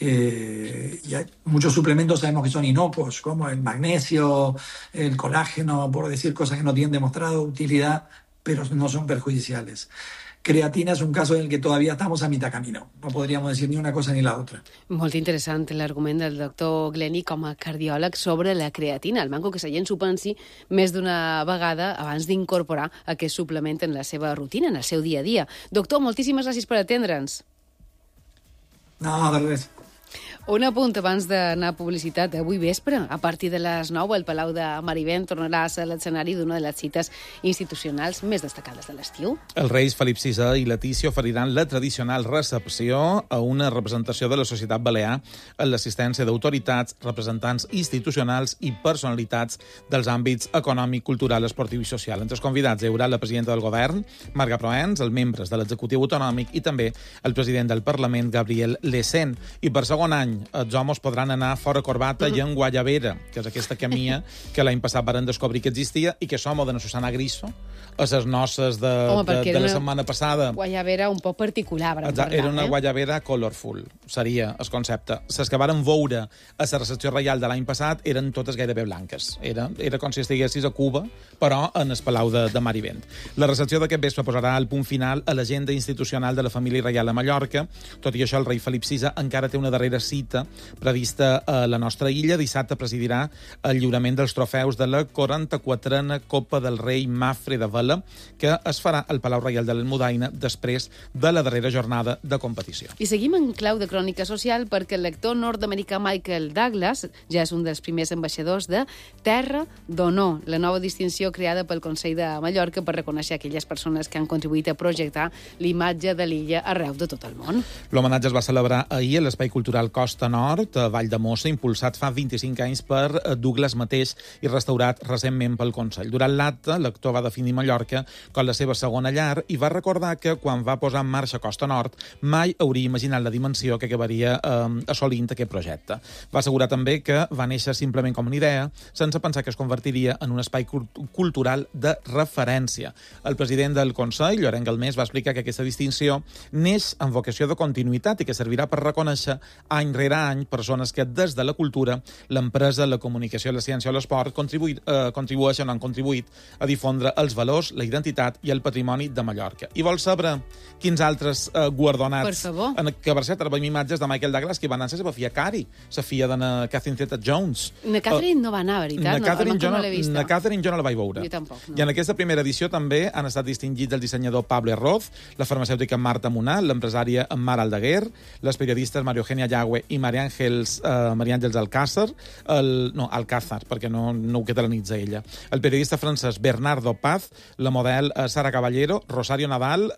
Y hay muchos suplementos sabemos que son inocuos, como el magnesio, el colágeno, por decir cosas que no tienen demostrado utilidad, pero no son perjudiciales. Creatina és un cas en el que todavía estamos a mitad camino. No podríamos decir ni una cosa ni la otra. Molt interessant l'argument del doctor Glenny com a cardiòleg sobre la creatina. El manco que la gent s'ho pensi més d'una vegada abans d'incorporar aquest suplement en la seva rutina, en el seu dia a dia. Doctor, moltíssimes gràcies per atendre'ns. No, de res. Un apunt abans d'anar a publicitat. Avui vespre, a partir de les 9, el Palau de Marivent tornarà a ser l'escenari d'una de les cites institucionals més destacades de l'estiu. Els reis Felip VI i Letícia oferiran la tradicional recepció a una representació de la societat balear en l'assistència d'autoritats, representants institucionals i personalitats dels àmbits econòmic, cultural, esportiu i social. Entre els convidats hi haurà la presidenta del govern, Marga Proens, els membres de l'executiu autonòmic i també el president del Parlament, Gabriel Lecén. I per segon any, els homes podran anar fora corbata i en guayabera, que és aquesta camia que l'any passat varen descobrir que existia i que som de la Susana Griso a les noces de la setmana passada. Guayabera un poc particular. Era una guayabera colorful, seria el concepte. Les que varen veure a la recepció reial de l'any passat eren totes gairebé blanques. Era com si estiguessis a Cuba, però en el Palau de Marivent. La recepció d'aquest vespre posarà el punt final a l'agenda institucional de la família reial a Mallorca. Tot i això, el rei Felip VI encara té una darrera cita prevista a la nostra illa. Dissabte presidirà el lliurament dels trofeus de la 44a Copa del Rei Mafre de Vela, que es farà al Palau Reial de l'Almudaina després de la darrera jornada de competició. I seguim en clau de crònica social perquè el lector nord-americà Michael Douglas ja és un dels primers ambaixadors de Terra d'Honor, la nova distinció creada pel Consell de Mallorca per reconèixer aquelles persones que han contribuït a projectar l'imatge de l'illa arreu de tot el món. L'homenatge es va celebrar ahir a l'Espai Cultural Costa Nord, a Valldemossa, impulsat fa 25 anys per Douglas mateix i restaurat recentment pel Consell. Durant l'acte, l'actor va definir Mallorca com la seva segona llar i va recordar que quan va posar en marxa Costa Nord mai hauria imaginat la dimensió que acabaria assolint aquest projecte. Va assegurar també que va néixer simplement com una idea, sense pensar que es convertiria en un espai cultural de referència. El president del Consell, Llorenç Galmés, va explicar que aquesta distinció neix amb vocació de continuïtat i que servirà per reconèixer any rere any persones que des de la cultura, l'empresa, la comunicació, la ciència o l'esport contribueixen o han contribuït a difondre els valors, la identitat i el patrimoni de Mallorca. I vols saber quins altres guardonats? Per favor. Que per cert, veiem imatges de Michael Douglas que van anar a la seva filla Cari, la filla de Catherine Zeta-Jones. Na Catherine no va anar, veritat? Na Catherine jo no la vaig veure. Jo tampoc, no. I en aquesta primera edició també han estat distingits el dissenyador Pablo Herroz, la farmacèutica Marta Munà, l'empresària Mar Aldeguer, les periodistes Mario Eugenia Yagüe i Maria Àngels Alcázar, Alcázar, perquè no ho catalanitza ella, el periodista francès Bernardo Paz, la model Sara Caballero, Rosario Nadal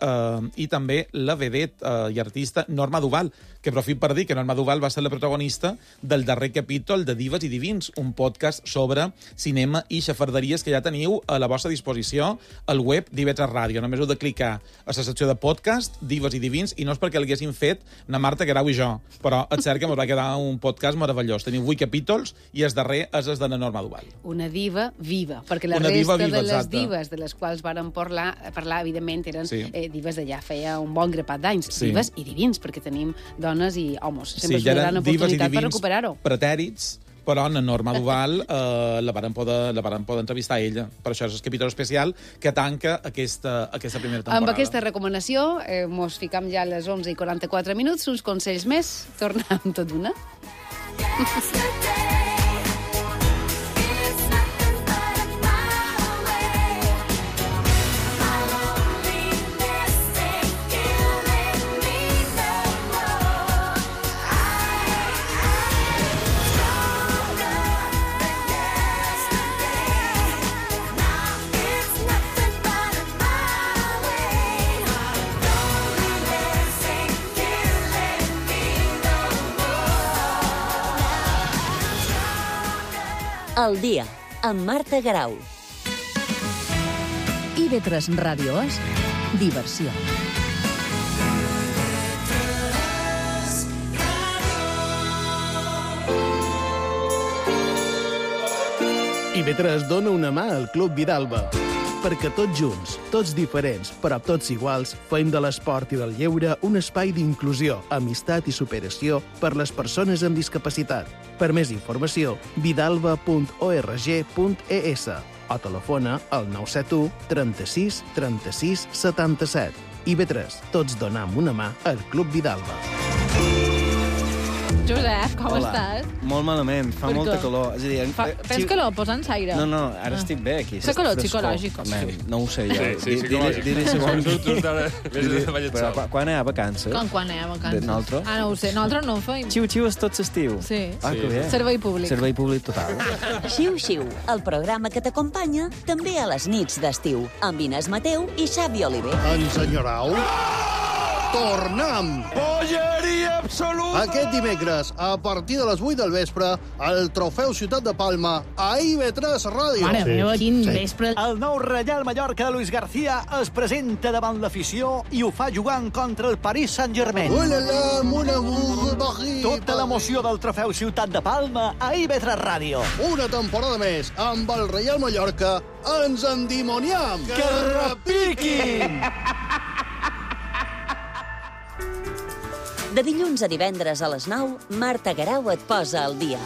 i també la vedette i artista Norma Duval, que aprofit per dir que Norma Duval va ser la protagonista del darrer capítol de Dives i Divins, un podcast sobre cinema i xafarderies que ja teniu a la vostra disposició al web d'IV3 Ràdio. Només heu de clicar a la secció de podcast, Dives i Divins, i no és perquè l'haguessin fet na Marta Guerau i jo, però et cert que que ens va quedar un podcast meravellós. Tenim 8 capítols i el darrer és el de la Norma Duval. Una diva viva, perquè la Una resta diva viva, de les exacte. divas de les quals vàrem parlar evidentment, eren Sí. divas d'allà feia un bon grapat d'anys. Sí. Divas i divins, perquè tenim dones i homes. Sempre Sí, és ja una eren gran divas i oportunitat per divins recuperar-ho. pretèrits, però en Norma Duval la varen poder entrevistar a ella. Per això és el capítol especial que tanca aquesta primera temporada. Amb aquesta recomanació, mos ficam ja a les 11:44 minuts, uns consells més, tornem tot d'una. El dia, amb Marta Garau. IB3 Ràdio és diversió. IB3 dona una mà al Club Vidalba. Perquè tots junts, tots diferents, però tots iguals, fem de l'esport i del lleure un espai d'inclusió, amistat i superació per les persones amb discapacitat. Per més informació, vidalba.org.es o telefona al 971 36 36 77. IB3, tots donam una mà al Club Vidalba. Josep, com estàs? Molt malament, fa Per molta què? calor. És a dir, Tens calor? Posa'ns aire. No, ara estic bé aquí. És calor psicològic. No ho sé jo. Sí, psicològic. Diré segons. Però quan hi ha vacances? Quan hi ha vacances? Nosaltres? No ho sé, nosaltres no ho feim. Xiu-xiu és tot l'estiu. Sí. Que bé. Servei públic. Servei públic total. Xiu-xiu, el programa que t'acompanya també a les nits d'estiu, amb Inés Mateu i Xavi Oliver. Ens enyorau? Tornem! Polleria absoluta! Aquest dimecres, a partir de les 8 del vespre, el Trofeu Ciutat de Palma a IB3 Ràdio. Mare meva, quin vespre. El nou Reial Mallorca de Luis García es presenta davant l'afició i ho fa jugant contra el Paris Saint-Germain. Tota l'emoció del Trofeu Ciutat de Palma a IB3 Ràdio. Una temporada més amb el Reial Mallorca. Ens endimoniam! Que repiquin! De dilluns a divendres a les 9, Marta Garau et posa al dia.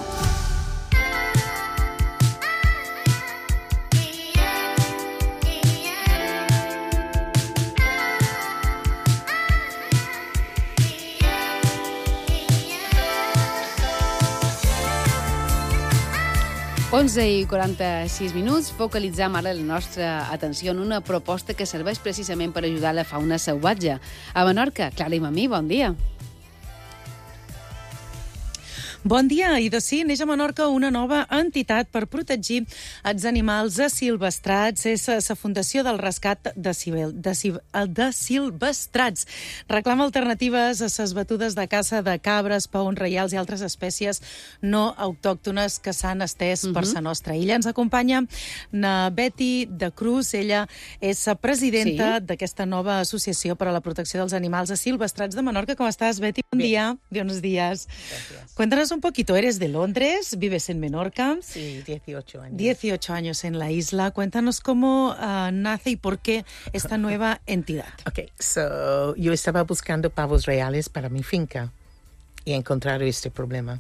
i 46 minuts, focalitzam ara la nostra atenció en una proposta que serveix precisament per ajudar la fauna salvatge. A Menorca, Clara i Mamí, bon dia. Bon dia, i de sí, neix a Menorca una nova entitat per protegir els animals asilvestrats. És la Fundació del Rescat de Silvestrats. Reclama alternatives a les batudes de caça de cabres, paons reials i altres espècies no autòctones que s'han estès per la nostra illa. Ens acompanya na Betty de Cruz. Ella és la presidenta d'aquesta nova associació per a la protecció dels animals asilvestrats de Menorca. ¿Cómo estás, Betty? Buen día. Buenos días. Gracias. Cuéntanos un poquito, eres de Londres, vives en Menorca. Sí, 18 años. 18 años en la isla. Cuéntanos cómo nace y por qué esta nueva entidad. Okay, so yo estaba buscando pavos reales para mi finca y he encontrado este problema.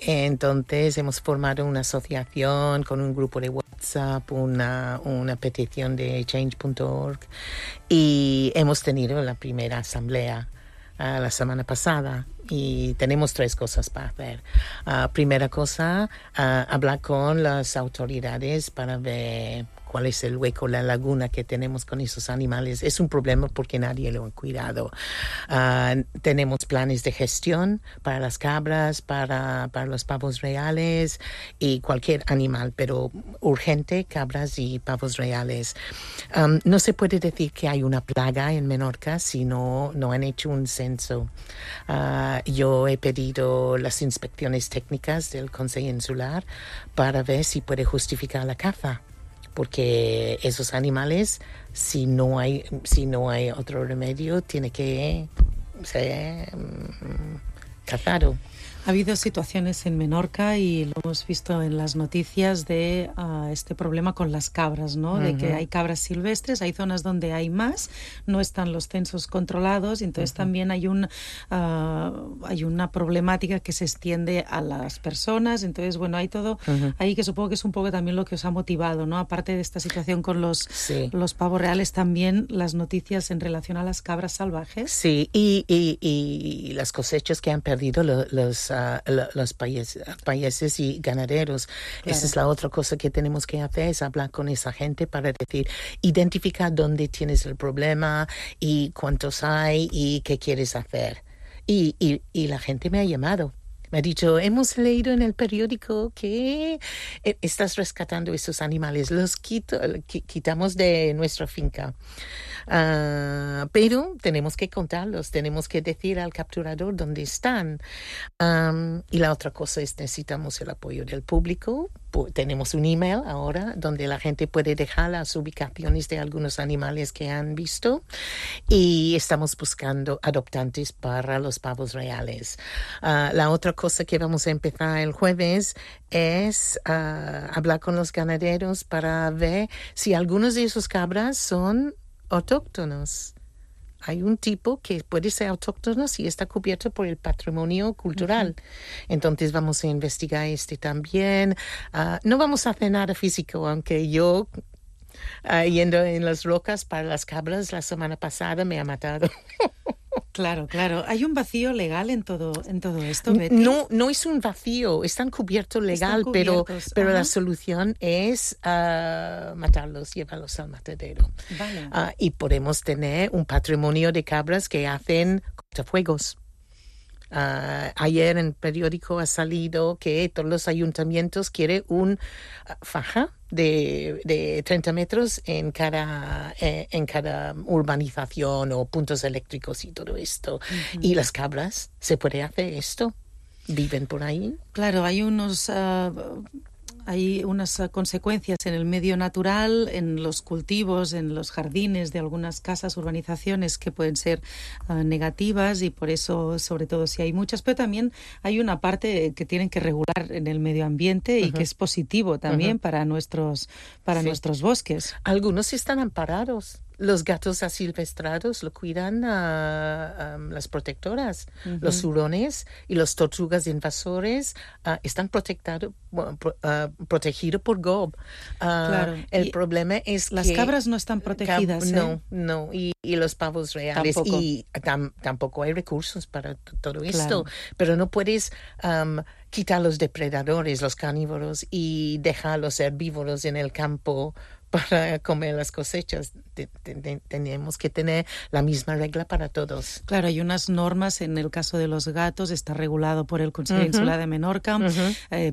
Entonces hemos formado una asociación con un grupo de WhatsApp, una petición de change.org y hemos tenido la primera asamblea la semana pasada y tenemos 3 cosas para hacer. Primera cosa, hablar con las autoridades para ver cuál es el hueco, la laguna que tenemos con esos animales. Es un problema porque nadie lo ha cuidado. Tenemos planes de gestión para las cabras, para los pavos reales y cualquier animal, pero urgente, cabras y pavos reales. No se puede decir que hay una plaga en Menorca si no han hecho un censo. Yo he pedido las inspecciones técnicas del Consejo Insular para ver si puede justificar la caza. Porque esos animales, si no hay otro remedio, tiene que ser cazado. Ha habido situaciones en Menorca y lo hemos visto en las noticias de este problema con las cabras, ¿no? De que hay cabras silvestres, hay zonas donde hay más, no están los censos controlados, entonces también hay una problemática que se extiende a las personas, entonces bueno, hay todo ahí que supongo que es un poco también lo que os ha motivado, ¿no? Aparte de esta situación con los pavos reales, también las noticias en relación a las cabras salvajes. Sí, y las cosechas que han perdido los países y ganaderos. Claro. Esa es la otra cosa que tenemos que hacer, es hablar con esa gente para decir, identificar dónde tienes el problema y cuántos hay y qué quieres hacer. Y la gente me ha llamado. Me ha dicho, hemos leído en el periódico que estás rescatando esos animales, los quitamos de nuestra finca. Pero tenemos que contarlos, tenemos que decir al capturador dónde están. Y la otra cosa es necesitamos el apoyo del público. Tenemos un email ahora donde la gente puede dejar las ubicaciones de algunos animales que han visto y estamos buscando adoptantes para los pavos reales. La otra cosa que vamos a empezar el jueves es hablar con los ganaderos para ver si algunos de esos cabras son autóctonos. Hay un tipo que puede ser autóctono si está cubierto por el patrimonio cultural. Entonces vamos a investigar también. No vamos a hacer nada físico, aunque yo yendo en las rocas para las cabras la semana pasada me ha matado. Claro. ¿Hay un vacío legal en todo esto, Betty? No es un vacío, están cubiertos legal, pero la solución es matarlos, llevarlos al matadero. Vale. Y podemos tener un patrimonio de cabras que hacen cortafuegos. Ayer en el periódico ha salido que todos los ayuntamientos quieren un faja de 30 metros en cada urbanización o puntos eléctricos y todo esto. Y las cabras, ¿se puede hacer esto? ¿Viven por ahí? Claro, hay unas consecuencias en el medio natural, en los cultivos, en los jardines de algunas casas, urbanizaciones que pueden ser negativas y por eso, sobre todo si hay muchas, pero también hay una parte que tienen que regular en el medio ambiente y que es positivo también para nuestros bosques. Algunos están amparados. Los gatos asilvestrados lo cuidan las protectoras. Los hurones y los tortugas invasores están protegidos por GOB. Claro. El problema es las cabras no están protegidas. No. Y los pavos reales. Tampoco. Y tampoco hay recursos para todo esto. Pero no puedes quitar los depredadores, los carnívoros, y dejar los herbívoros en el campo para comer las cosechas. Tenemos que tener la misma regla para todos. Claro, hay unas normas en el caso de los gatos, está regulado por el Consejo Insular de Menorca,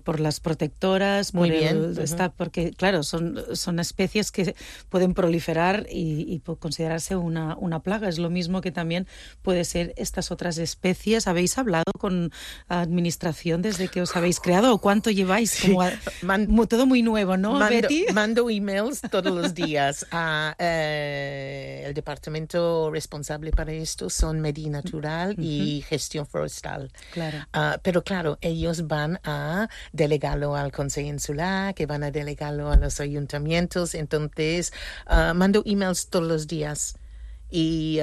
por las protectoras, porque claro, son especies que pueden proliferar y considerarse una plaga. Es lo mismo que también puede ser estas otras especies. ¿Habéis hablado con administración desde que os habéis creado o cuánto lleváis? Como todo muy nuevo, ¿no, Betty? Mando emails todos los días a el departamento responsable para esto son Medio Natural y Gestión Forestal. Claro. Pero claro, ellos van a delegarlo al Consejo Insular, que van a delegarlo a los ayuntamientos. Entonces, mando emails todos los días. Y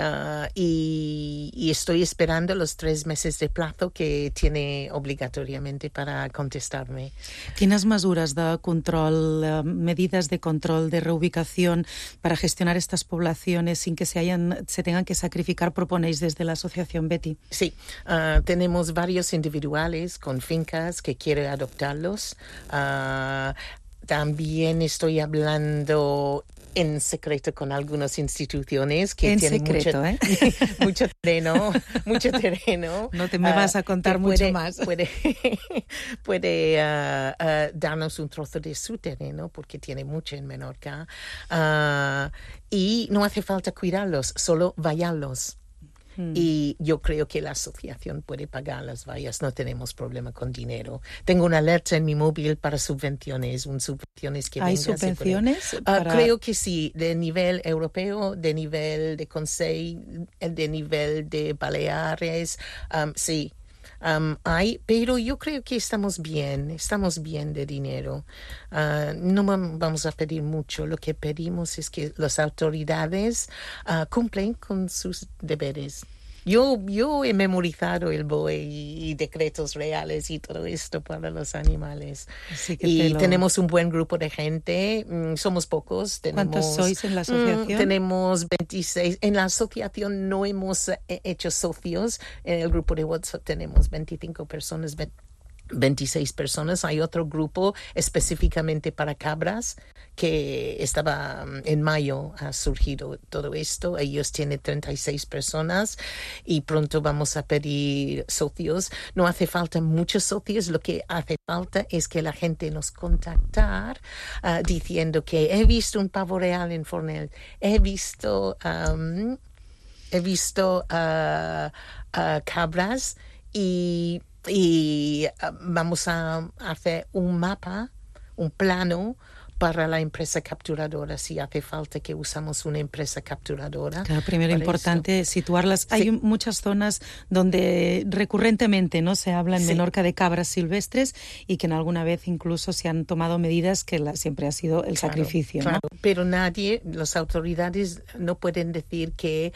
estoy esperando los 3 meses de plazo que tiene obligatoriamente para contestarme. ¿Quines mesures de control, medidas de control, de reubicación para gestionar estas poblaciones sin que se tengan que sacrificar proponéis desde la asociación, Betty? Sí, tenemos varios individuales con fincas que quieren adoptarlos. También estoy hablando en secreto con algunas instituciones que tienen mucho terreno. No te me vas a contar mucho más. Puede darnos un trozo de su terreno porque tiene mucho en Menorca. Y no hace falta cuidarlos, solo vallarlos. Y yo creo que la asociación puede pagar las vallas, no tenemos problema con dinero. Tengo una alerta en mi móvil para subvenciones, que ¿Hay subvenciones? Creo que sí, de nivel europeo, de nivel de Consejo, de nivel de Baleares, sí. Pero yo creo que estamos bien de dinero. No vamos a pedir mucho. Lo que pedimos es que las autoridades cumplen con sus deberes. Yo he memorizado el BOE y decretos reales y todo esto para los animales. Tenemos un buen grupo de gente, somos pocos. ¿Cuántos sois en la asociación? Tenemos 26. En la asociación no hemos hecho socios. En el grupo de WhatsApp tenemos 25 personas, 26 personas. Hay otro grupo específicamente para cabras que estaba en mayo, ha surgido todo esto. Ellos tienen 36 personas y pronto vamos a pedir socios. No hace falta muchos socios, lo que hace falta es que la gente nos contactar diciendo que he visto un pavo real en Fornell, he visto cabras y vamos a hacer un mapa, un plano para la empresa capturadora, si hace falta que usamos una empresa capturadora. Claro, primero importante situarlas. Hay muchas zonas donde recurrentemente no se habla en Menorca de cabras silvestres y que en alguna vez incluso se han tomado medidas que siempre ha sido el sacrificio. Claro. Pero las autoridades no pueden decir que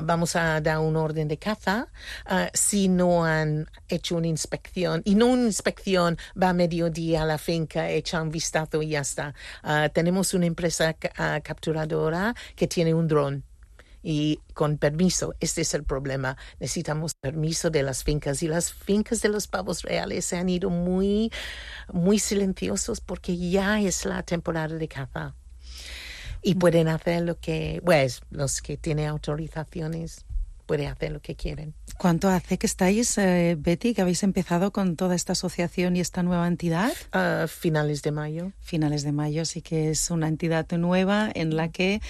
vamos a dar un orden de caza si no han hecho una inspección. Y no una inspección, va a mediodía a la finca, echa un vistazo y ya está. Tenemos una empresa capturadora que tiene un dron y con permiso. Este es el problema. Necesitamos permiso de las fincas y las fincas de los pavos reales se han ido muy, muy silenciosos porque ya es la temporada de caza y pueden hacer lo que, pues, los que tienen autorizaciones pueden hacer lo que quieren. ¿Cuánto hace que estáis, Betty, que habéis empezado con toda esta asociación y esta nueva entidad? Finales de mayo. Finales de mayo, sí que es una entidad nueva en la que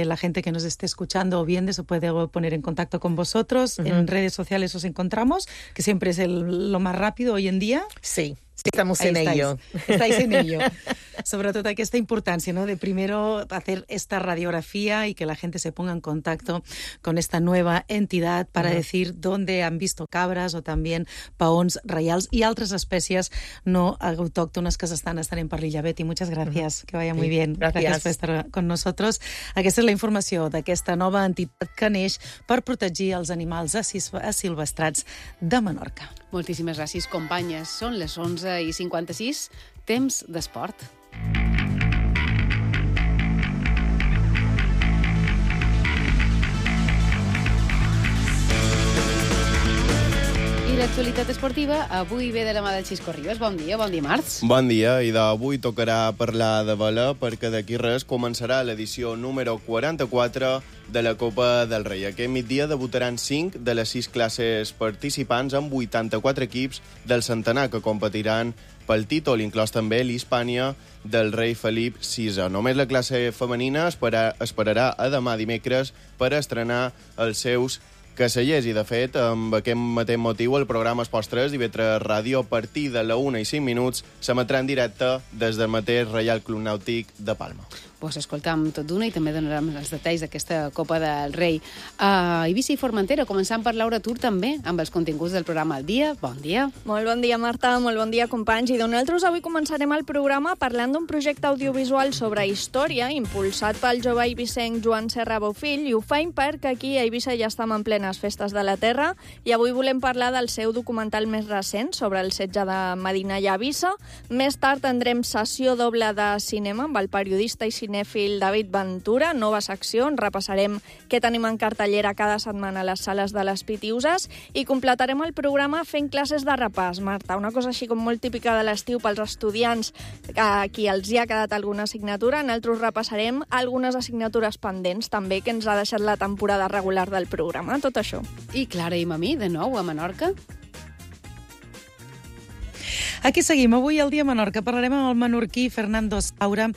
la gente que nos esté escuchando o viendo se puede poner en contacto con vosotros. En redes sociales os encontramos, que siempre es lo más rápido hoy en día. Sí. Estamos en ello. Estáis en ello. Sobretot aquesta importància, ¿no?, de primero hacer esta radiografía y que la gente se ponga en contacto con esta nueva entidad para decir dónde han visto cabras o también paons reials y altres espècies no autóctones que s'estan en parrilla. Betty, muchas gracias. Que vaya muy bien. Gracias por estar con nosotros. Aquesta és la informació d'aquesta nova entitat que neix per protegir els animals asilvestrats de Menorca. Moltíssimes gràcies, companyes. Són les 11:56, temps d'esport. I l'actualitat esportiva avui ve de la mà del Xisco Ribas. Bon dia dimarts. Bon dia, i d'avui tocarà parlar de vela perquè d'aquí res començarà l'edició número 44 de la Copa del Rei. Aquest migdia debutaran 5 de les 6 classes participants amb 84 equips del centenar que competiran pel títol, inclòs també l'Hispània del rei Felip VI. Només la classe femenina esperarà a demà dimecres per estrenar els seus casellers i, de fet, amb aquest mateix motiu, el programa Esports 3 d'IV3 Ràdio, a partir de la 1:05, s'emetrà en directe des del mateix Reial Club Nàutic de Palma. Pues escoltam tot d'una i també donarem els detalls d'aquesta Copa del Rei. A Eivissa i Formentera, començant per Laura Tur també, amb els continguts del programa al dia. Bon dia. Molt bon dia, Marta, molt bon dia, companys. I nosaltres avui començarem el programa parlant d'un projecte audiovisual sobre història impulsat pel jove eivissenc Joan Serra Bofill, i ho faim perquè aquí a Eivissa ja estem en plenes festes de la terra i avui volem parlar del seu documental més recent sobre el setge de Medina i Eivissa. Més tard tindrem sessió doble de cinema amb el periodista i cinèfil David Ventura, nova secció on repassarem què tenim en cartellera cada setmana a les sales de les Pitiuses i completarem el programa fent classes de repàs. Marta, una cosa així com molt típica de l'estiu pels estudiants a qui els hi ha quedat alguna assignatura. Nosaltres repassarem algunes assignatures pendents també que ens ha deixat la temporada regular del programa, tot això. I Clara i Mamí, de nou a Menorca. Aquí seguim. Avui al Dia Menorca parlarem amb el menorquí Fernando Saura.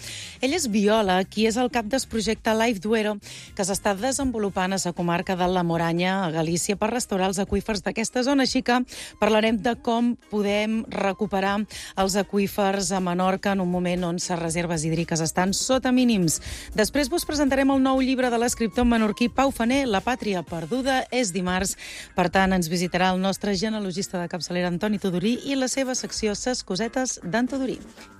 Ell és biòleg i és el cap del projecte Life Duero, que s'està desenvolupant a la comarca de la Moranya, a Galícia, per restaurar els aqüífers d'aquesta zona. Així que parlarem de com podem recuperar els aqüífers a Menorca en un moment on les reserves hídriques estan sota mínims. Després vos presentarem el nou llibre de l'escriptor menorquí Pau Faner, La pàtria perduda. És dimarts, per tant, ens visitarà el nostre genealogista de capçalera Antoni Tudurí i la seva secció Ses cosetes d'en Tudurí.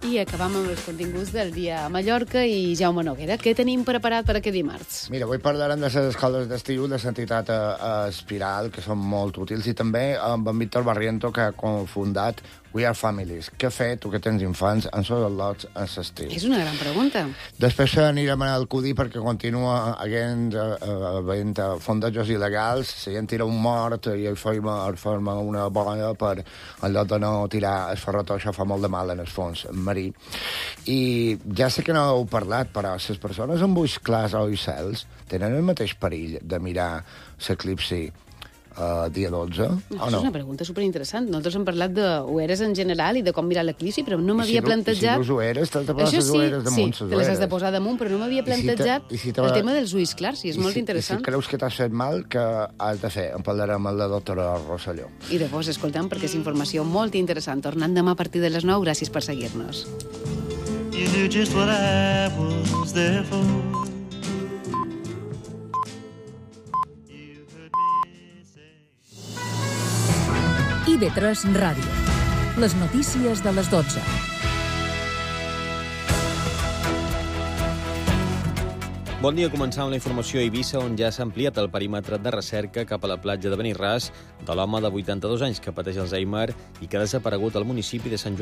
I acabam amb els continguts del dia a Mallorca i Jaume Noguera. Què tenim preparat per aquest dimarts? Mira, avui parlarem de les escoles d'estiu de l'entitat Espiral, que són molt útils, i també amb en Víctor Barriento, que ha cofundat We Are Families. Què fer, tu que tens infants, en són els lots en l'estiu? És una gran pregunta. Després anirem al Cudí perquè continua havent fondejos il·legals, la gent tira un mort i es forma una boia per, en lloc de no tirar el ferretó, això fa molt de mal en el fons marí. I ja sé que no heu parlat, però les persones amb ulls clars o ulls cels tenen el mateix perill de mirar l'eclipsi dia 12, o no? És una pregunta superinteressant. Nosaltres hem parlat d'ueres en general i de com mirar l'eclipsi, però no m'havia plantejat... I si dus ueres, t'has de posar les ueres damunt. Sí, te les has de posar damunt, però no m'havia plantejat el tema dels ulls clars, i és molt interessant. I si creus que t'has fet mal, que has de fer? En parlarem amb la doctora Rosselló. I de vos escoltem, perquè és informació molt interessant. Tornant demà a partir de les 9. Gràcies per seguir-nos. You knew just what I was there for. IB3 Ràdio. Les notícies de les 12. Bon dia, començant amb la informació a Eivissa, on ja s'ha ampliat el perímetre de recerca cap a la platja de Benirràs de l'home de 82 anys que pateix Alzheimer i que ha desaparegut al municipi de Sant Joan